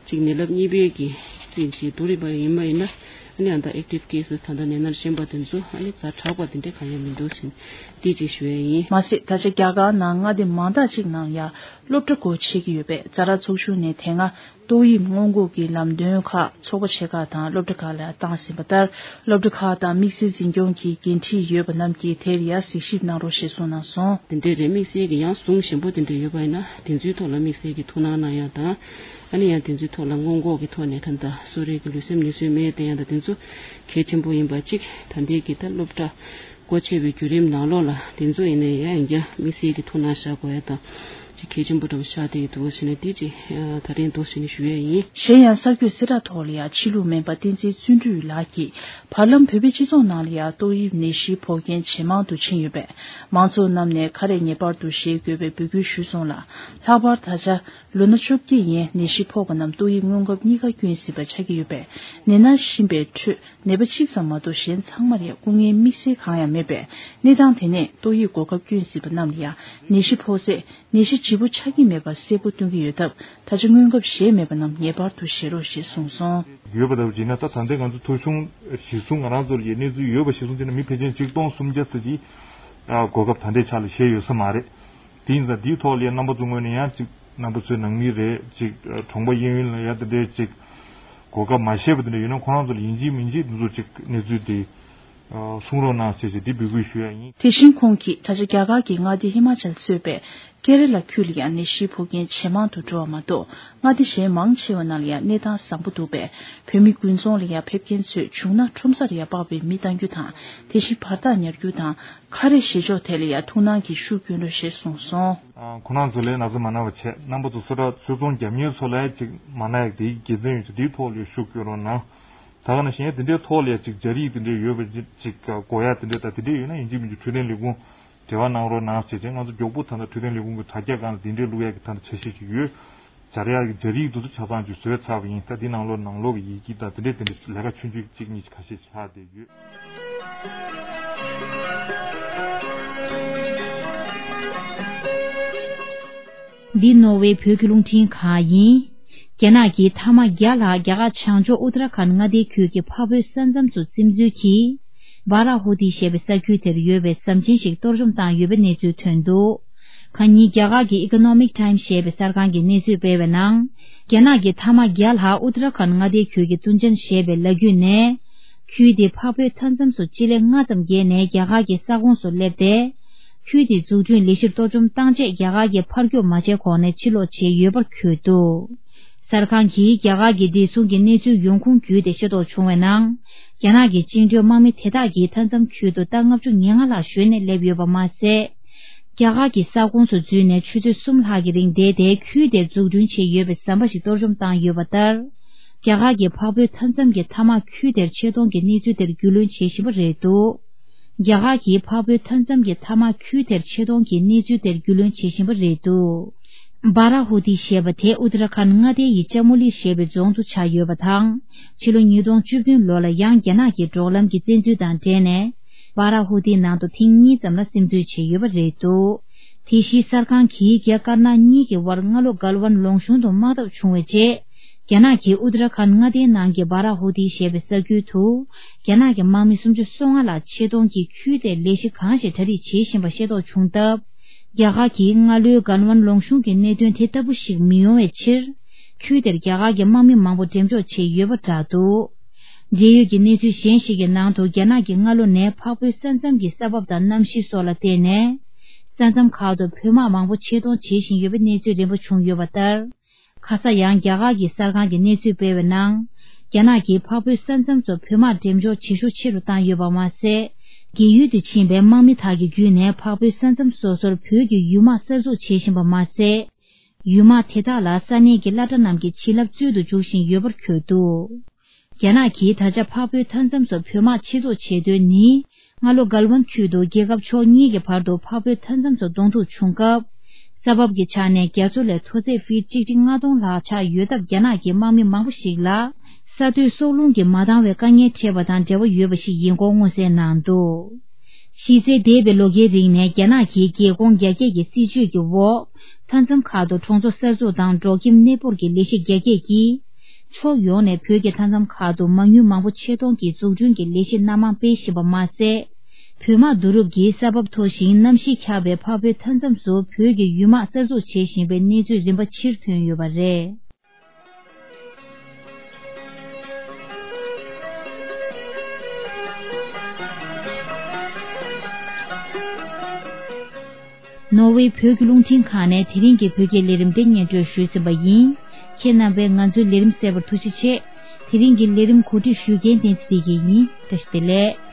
གཅིག་ནད་རླབས་གཉིས་པའི་གི་རྩིས་ཀྱི་བསྡུར་རིམ་པ་ཡིན་པ་ཡིན་ན། ཨ་ནི་ཨ་ད་ཨེག་ཊིབ་ཀེ་སི་ད་ལྟ་ནད་མནར་གཞོན་པ་དེ་ཚོ་ཨ་ནི་ཛ་དྲག་པ་དེ་འདྲ་གང་ཡང་མི་འདུག་ཟེར་དེ་ཅིག་ཞུ་ཡ་ཡིན། མ་ཟད་ད་ཆ་རྒྱ་གར་ནང་མངའ་སྡེ་མང་དག་ཅིག་ནང་ཡང་སློབ་གྲྭ་སྒོ་ཕྱེ་གི་ཡོད་པས། ཛ་དྲག་ཚོགས་ཆུང་ནས་དེ་སྔ་ཏོག་དབྱིབས་སྔོན་འགོག་གི་ལམ་སྟོན་ཁག་ཚོགས་པ་ཆེ་ཁག་དང་སློབ་གྲྭ་ཁག་ལ་བཏང་ཟིན་པ་ལྟར། སློབ་གྲྭ་ཁག་དང་དམིགས་བསལ་འཛིན་སྐྱོང་གི་འགན་འཁྲི་ཡོད་པ་རྣམས་ཀྱིས་དེར་ཡང་གཟིགས་ཞིབ་གནང་རོགས་ཞེས་གསུངས་གནང་སོང་། དེ་འདྲའི་རེད། དམིགས་བསལ་གྱི་ཡང་ཟུང་ཞན་པོ་དེ་འདྲ་ཡོད་པ་ཡིན་ན་དེ་ཚོའི་ཐོག་ལ་དམིགས་བསལ་གྱི་ཐུགས་སྣང་གནང་ཡ་དང་། ཨ་ནི་ཡང་དེ་ཚོའི་ཐོག་ལ་སྔོན་འགོག་གི་ཐོག་ནས་ད་ལྟ་གསོ་རིག་གི་ལུས་སེམས་ནུས་གསོའི་སྨན་བསྟེན་ཡ་དང་དེ་ཚོ་གལ་ཆེན་པོ་ཡིན་པ་གཅིག་ད་ལྟའི་གི་ད་སློབ་གྲྭ་སྒོ་ཕྱེ་བའི་བརྒྱུད་རིམ་ནང་ལོགས་ལ་དེ་ཚོ་ཡིན་ནའི་ཡང་ཡིན་རྒྱུ་དམིགས་བསལ་གྱི་ཐུགས་སྣང་བཞག་དགོས་ཡ་དང་། ཅིག་གལ་ཆེན་པོ་འདྲ་བོ་ཆགས་བསྡད་འདུག་ཟེར་ནས་དེ་ཅིག་ད་རིང་འདུག་ཟེར་ནས་ཞུ་ཡས་ཡིན། གཞན་ཡང་གསར་འགོད་གསལ་བསྒྲགས་ཐོག་ལ་ཡང་ཕྱི་ལུགས་སྨན་པ་བསྟན་འཛིན་བརྩོན་འགྲུས་ལགས་ཀྱིས་བར་ལམ་བོད་པའི་སྤྱི་ཚོགས་ནང་ལ་ཡང་ཏོག་དབྱིབས་ནད་གཞི་ཕོག་མཁན་ཇེ་མང་དུ་ཕྱིན་ཡོད་པས། མང་ཚོགས་རྣམས་ནས་ཁ་རས་ངེས་པར་དུ་བཞེས་དགོས་པའི་འབོད་སྐུལ་ཞུས་སོང་ལ། ལྷག་པར་ད་ཆ་ལོ་ན་བཅོ་བརྒྱད་ཡན་ནད་གཞི་ཕོག་པ་རྣམས་ཏོག་དབྱིབས་སྔོན་འགོག་གཉིས་ཀ་སྐྱོན་སྲིད་པ་ཆགས་ཀྱི་ཡོད་པས། ནད་མནར་བཞིན་པའི་ཁྲོད། ནད་པ་གཅིག་ཙམ་མ་གཏོགས་གཞན་ཚང་མར་ཡང་སྐུ་ངལ་དམིགས་བསལ་གང་ཡང་མེད་པས། གནས་སྟངས་དེ་ནས་ཏོག་དབྱིབས་འགོག་ཁབ་སྐྱོན་སྲིད་པ་རྣམས་ལ་ཡང་ནད་གཞི་ཕོག་ཚེ་ནད་གཞི་ལྗིད་པོ་ཆགས་ཀྱི་མེད་པ་གསལ་པོ་སྟོན་གྱི་ཡོད་སྟབས། ད་ཆ་སྔོན་ཁབ་བཞེས་མེད་པ་རྣམས་ངེས་པར་དུ་བཞེས་རོགས་ཞེས་གསུངས་སོང་། ཡོད་པ་ལྟ་བུ་བྱས་ན། ད་ད་ལྟའི་ང་ཚོ་ཐོ་གཞུང་གཞིར་བཟུང་ང་རང་ཚོ་ལ་ཡང་གནས་ཚུལ་ཡོད་པ་གཞིར་བཟུང་བྱས་ན། མི་ཕལ་ཆེར་ཆིག་སྟོང་སུམ་བརྒྱ་ཙམ་ཅིག་ཨ་འགོག་ཁབ་ད་ལྟའི་ཆ་ལ་བཞེས་ཡོད་ས་མ་རེད། དེ་ཡིན་ཙང་དེའི་ཐོག་ལ་ཡང་རྣམ་པ་ཚོའི་ངོས་ནས་ཡང་ཅིག་རྣམ་པ་ཚོའི་ནང་མི་རེད། ཅིག་གྲོང་པ་གཡས་གཡོན་ལ་ཡང་དེ་འདྲའི་ཅིག་གོ་སྐབས་མ་བཞེས་པ་དེ་འདྲ་ཡོད་ན། ཁོ་རང་ཚོ་ལ་ཡིན་གཅིག་མིན་གཅིག་འདི་ཚོ་ཅིག་གནས་ཚུལ་དེ་གསུང་རོགས་གནང་ཟེར་ཞེས་དེ་འབོད་སྐུལ་ཞུ་ཡ་ཡིན། དེ་བཞིན་ཁོང་གིས་ད་ཆ་རྒྱ་གར་གྱི་མངའ་སྡེ་ཧི་མ་ཅལ་གཙོས་པའི་ཀེ་ར་ལ་ཁུལ་ལ་ཡང་ནད་གཞིའི་ཕོག་མཁན་ཇེ་མང་དུ་འགྲོ་བ་མ་གཏོགས། མངའ་སྡེ་གཞན་མང་ཆེ་བ་ནང་ལ་ཡང་གནས་སྟངས་བཟང་པོ་འདུག་པས། བོད་མི་དགུན་ཚོང་ལ་ཡང་ཕེབས་མཁན་ཚོས་བྱུང་ན་ཁྲོམ་སར་ཡང་སྤགས་པའི་མེ་བཏང་རྒྱུ་དང་། དེ་བཞིན་བར་ཐག་ཉར་རྒྱུ་དང་། ཁ་རས་བཞེས་ཕྱོགས་ཐད་ལ་ཡང་ཐུགས་སྣང་གིས་ཤུགས་སྐྱོན་རོགས་ཞེས་གསུངས་སོང་། ཨ། ཁོ་རང་ཚོ་ལ་ན་ཚ་མ་ན་བ་བྱས། རྣམ་པ་ཚོ་སོ་སོ་ཚོད་ཚོང་རྒྱག་མཁན་ཚོ་ལ་ཅིག་མ་ན་ཡག་དེའི་དགེ་མཚན་ཡོད་ཚེ་དེའི་ཐོག་ལ་ཤུགས་སྐྱོན་རོགས་གནང་། ད་ག་ནང་བཞིན་དེ་འདྲའི་ཐོག་ལ་ཅིག་སྦྱར་ཡིག་དེ་འདྲའི་ཡོད་པ་ཅིག་དགོས་ཡ་དེ་འདྲའི། ད་དེ་འདྲའི་ཡོད་ན་ཡིན་གཅིག་མིན་གཅིག་འཕྲོད་བསྟེན་ལས་ཁུངས་འབྲེལ་བ་གནང་རོགས་གནང་ཟེར་བྱས། ང་ཚོ་མགྱོགས་པོ་ད་ལྟ་འཕྲོད་བསྟེན་ལས་ཁུངས་ཀྱི་དྲ་རྒྱ་སྒང་ལ་དེ་འདྲའི་བླུག་ཡ་གི་ད་ལྟ་འཆར་གཞི་ཅིག་ཡོད། སྦྱར་ཡག་གི་སྦྱར་ཡིག་དེ་ཚོ་ཆ་ཚང་ཅིག་བཟོས་ཚར་བ་ཡིན། ད་འདི་ནང་ལོགས་ནང་ལོགས་ཀྱི་ཡི་གེ་དང་དེ་འདྲས་དེ་འདྲས་ལས་ཀ་ཆུང་ཆུང་གཅིག་གཉིས་ཁ་ཤས་ཆགས་བསྡད་ཡོད། འདི་ནོར་ཝེ་བོད་ཀྱི་རླུང་འཕྲིན་ཁང་ཡིན། རྒྱ་ནག་གིས་ཐ་མག་བརྒྱ་ལྷག་རྒྱ་གར་བྱང་ཕྱོགས་ཨུ་ཏར་ཁཱན་མངའ་སྡེའི་ཁུལ་གྱི་འཕགས་བོད་ས་མཚམས་སུ་ཚིམ་འཛུལ་གྱིས། སྦ་ར་ཧུ་ཏི་ཞེས་པའི་ས་ཁུལ་དེར་ཡོད་པའི་ཟམ་ཆེན་ཞིག་གཏོར་བཅོམ་བཏང་ཡོད་པའི་གནས་ཚུལ་ཐོན་འདུག་ཁ་ཉིན་རྒྱ་གར་གྱི་Economic Times ཞེས་པའི་གསར་ཁང་གིས་གནས་ཚུལ་སྤེལ་བའི་ནང་། རྒྱ་ནག་གི་ཐ་མག་བརྒྱ་ལྷག་ཨུ་ཏར་ཁཱན་མངའ་སྡེའི་ཁུལ་གྱི་ཏུན་ཅན་ཞེས་པའི་ལ་རྒྱུད་ནས། ཁུལ་དེའི་འཕགས་བོད་མཐའ་མཚམས་སུ་སྤྱི་ལེ་ལྔ་ཙམ་བརྒལ་ནས་རྒྱ་གར་གྱི་ས་ཁོངས་སུ་སླེབས་ཏེ། ཁུལ་དེའི་འཛུགས་སྐྲུན་ལས་གཞིར་གཏོར་བཅོམ་བཏང་རྗེས། རྒྱ་གར་གྱིས་ཕར་རྒྱུག་མ་བྱས་གོང་ནས་ཕྱིར་ལོག་བྱས་ཡོད་པར་འཁོད་འདུག་གསར་ཁང་གིས་རྒྱ་གར་གྱི་བདེ་སྲུང་གི་གནས་ཚུལ་ཡོང་ཁུངས་བརྒྱུད་དེ་ཤེས་རྟོགས་བྱུང་བའི་ནང་། རྒྱ་ནག་གི་བཅིངས་འགྲོལ་དམག་མི་དེ་དག་གིས་མཐའ་མཚམས་ཁུལ་དུ་ཟླ་ལྔ་བཅུ་ང་ལྔ་ལྷག་བཞུགས་ནས་སླེབས་ཡོད་པ་མ་ཟད། རྒྱ་གར་གྱི་ས་ཁོངས་སུ་འཛུལ་ནས་ཆུ་ཚོད་གསུམ་ལྷག་གི་རིང་བསྡད་དེ། ཁུལ་དེར་འཛུགས་སྐྲུན་བྱས་ཡོད་པའི་ཟམ་པ་ཞིག་གཏོར་བཅོམ་བཏང་ཡོད་པ་ལྟར། རྒྱ་གར་གྱི་འཕགས་བོད་མཐའ་མཚམས་ཀྱི་ཐ་མག་ཁུལ་དེར་ཆེད་གཏོང་གི་གནས་ཚུལ་དེར་རྒྱུས་ལོན་བྱེད་བཞིན་པ་རེད་འདུག་རྒྱ་གར་གྱིས་འཕགས་བོད་མཐའ་མཚམས་ཀྱི་ཐ་མག་ཁུལ་དེར་ཆེད་གཏོང་གི་གནས་ཚུལ་དེར་རྒྱུས་ལོན་བྱེད་བཞིན་པ་རེད་འདུག་སྦ་ར་ཧུ་ཏི་ཞེས་པ་དེ་ཨུ་ཏར་ཁཱན་མངའ་སྡེ་ཡི་ཅ་མུ་ལི་ཞེས་པའི་རྫོང་དུ་ཆགས་ཡོད་པ་དང་། ཕྱི་ལོ་ཉིས་སྟོང་བཅུ་བདུན་ལོ་ལ་ཡང་རྒྱ་ནག་གི་འབྲོག་ལམ་གྱི་བཙན་འཛུལ་དང་འབྲེལ་ནས། སྦ་ར་ཧུ་ཏིའི་ནང་དུ་ཐེངས་གཉིས་ཙམ་ལ་སིམ་འཛུལ་བྱས་ཡོད་པ་རེད་འདུག་དེ་བཞིན་གསར་ཁང་གིས་རྒྱ་དཀར་ནག་གཉིས་ཀྱི་དབར་སྔ་ལོ་གལ་ཝན་ལུང་གཤོང་དུ་དམག་འཐབ་བྱུང་བའི་རྗེས། རྒྱ་ནག་གིས་ཨུ་ཏར་ཁཱན་མངའ་སྡེའི་ནང་གི་སྦ་ར་ཧུ་ཏི་ཞེས་པའི་ས་ཁུལ་དུ། རྒྱ་ནག་གི་དམག་མི་སུམ་ཅུ་སོ་ལྔ་ལ་ཆེད་གཏོང་གིས་ཁུལ་དེར་ལས་གཞི་གང་ཞིག་གྲ་སྒྲིག་བྱེད་བཞིན་པ་ཤེས་རྟོགས་བྱུང་སྟབས། རྒྱ་གར་གྱིས་སྔ་ལོའི་གལ་ཝན་ལུང་གཤོང་གི་གནད་དོན་དེ་ལྟ་བུ་ཞིག་མི་ཡོང་བའི་ཕྱིར། ཁུལ་དེར་རྒྱ་གར་གྱི་དམག་མི་མང་པོ་འགྲེམས་འཇོག་བྱས་ཡོད་པ་བསྒྲགས་འདུག་འབྲེལ་ཡོད་ཀྱི་གནས་ཚུལ་གཞན་ཞིག་གི་ནང་དུ། རྒྱ་ནག་གིས་སྔ་ལོ་ནས་འཕགས་བོད་ས་མཚམས་ཀྱི་ས་བབ་དང་གནམ་གཤིས་སོགས་ལ་བརྟེན་ནས། ས་མཚམས་ཁག་ཏུ་བོད་དམག་མང་པོ་ཆེད་གཏོང་བྱེད་བཞིན་ཡོད་པའི་གནས་ཚུལ་རིམ་པ་བྱུང་ཡོད་པ་ལྟར། ཁ་ས་ཡང་རྒྱ་གར་གྱི་གསར་ཁང་གིས་གནས་ཚུལ་སྤེལ་བའི་ནང་། རྒྱ་ནག་གིས་འཕགས་བོད་ས་མཚམས་སུ་བོད་དམག་འགྲེམས་འཇོག་བྱེད་ཤུགས་ཆེ་རུ་བཏང་ཡོད་པ་མ་ཟད། རྒས་ཡུལ་དུ་ཕྱིན་པའི་དམག་མི་དག་གི་བརྒྱུད་ནས་འཕགས་བོད་ས་མཚམས་སོ་སོར་བོད་ཀྱི་ཡུལ་དམག་གསར་འཛུགས་བྱེད་བཞིན་པ་མ་ཟད། ཡུལ་དམག་དེ་དག་ལ་ས་གནས་ཀྱི་སློབ་གྲྭ་རྣམས་ཀྱི་བྱིན་རླབས་སྩོལ་དུ་འཇུག་བཞིན་ཡོད་པར་འཁོད་འདུག་རྒྱ་ནག་གིས་ད་ཆ་འཕགས་བོད་མཐའ་མཚམས་སུ་བོད་དམག་ཆེད་འཛུགས་བྱེད་དོན་ནི། སྔ་ལོ་གལ་ཝན་ཁུལ་དུ་རྒྱལ་ཁབ་ཕྱོགས་གཉིས་ཀྱི་བར་དུ་འཕགས་བོད་མཐའ་མཚམས་སུ་གདོང་ཐུག་བྱུང་སྐབས། ས་བབ་ཀྱི་ཆ་ནས་རྒྱ་མཚོ་ལས་མཐོ་ཚད་ཕིཊ་གཅིག་ཁྲི་ལྔ་སྟོང་ལྷག་ཆགས་ཡོད་སྟབས། རྒྱ་ནག་གི་དམག་མི་མང་པོ་ཞིག་ལ་ས་རྡོས་སྲོག་རླུང་གིས་མ་འདང་བའི་དཀའ་ངལ་འཕྲད་པ་དང་འབྲེལ་བ་ཡོད་པ་ཞིག་ཡིན་སྐོར་མངོན་གསལ་གནང་འདུག་གཞི་རྩའི་འདས་པའི་ལོ་འགའི་རིང་ནས་རྒྱ་ནག་གིས་རྒྱལ་ཁོངས་རྒྱ་སྐྱེད་ཀྱི་སྲིད་བྱུས་ཀྱི་འོག་མཐའ་མཚམས་ཁག་ཏུ་གྲོང་ཚོ་གསར་འཛུགས་དང་འབྲོག་ཁྱིམ་གནས་སྤོར་གྱི་ལས་གཞི་རྒྱ་སྐྱེད་ཀྱིས། ཕྱོགས་ཡོངས་ནས་བོད་ཀྱི་མཐའ་མཚམས་ཁག་ཏུ་མ་དངུལ་མང་པོ་ཆེད་གཏོང་གིས་འཛུགས་སྐྲུན་གྱི་ལས་གཞི་སྣ་མང་སྤེལ་བཞིན་པ་མ་ཟད། བོད་དམག་བསྡུ་རུབ་ཀྱིས་ས་བབ་མཐོ་ཞིང་གནམ་གཤིས་འཁྱག་པའི་འཕགས་བོད་མཐའ་མཚམས་སུ་བོད་ཀྱི་ཡུལ་དམག་གསར་འཛུགས་བྱེད་བཞིན་པའི་གནས་ཚུལ་རིམ་པ་ཕྱིར་ཐོན་ཡོད་པ་རེད། ནོར་ཝེ་བོད་ཀྱི་རླུང་འཕྲིན་ཁང་ནས་དེ་རིང་གི་བོད་སྐད་ལས་རིམ་འདི་སྙན་སྒྲོན་ཞུས་ཟིན་པ་ཡིན། ཁྱེད་རྣམ་པས་ང་ཚོའི་ལས་རིམ་གསན་པར་ཐུགས་རྗེ་ཆེ། དེ་རིང་གི་ལས་རིམ་གོ་སྒྲིག་ཞུ་མཁན་བསྟན་འཛིན་བདེ་སྐྱིད་ཡིན། བཀྲ་ཤིས་བདེ་ལེགས།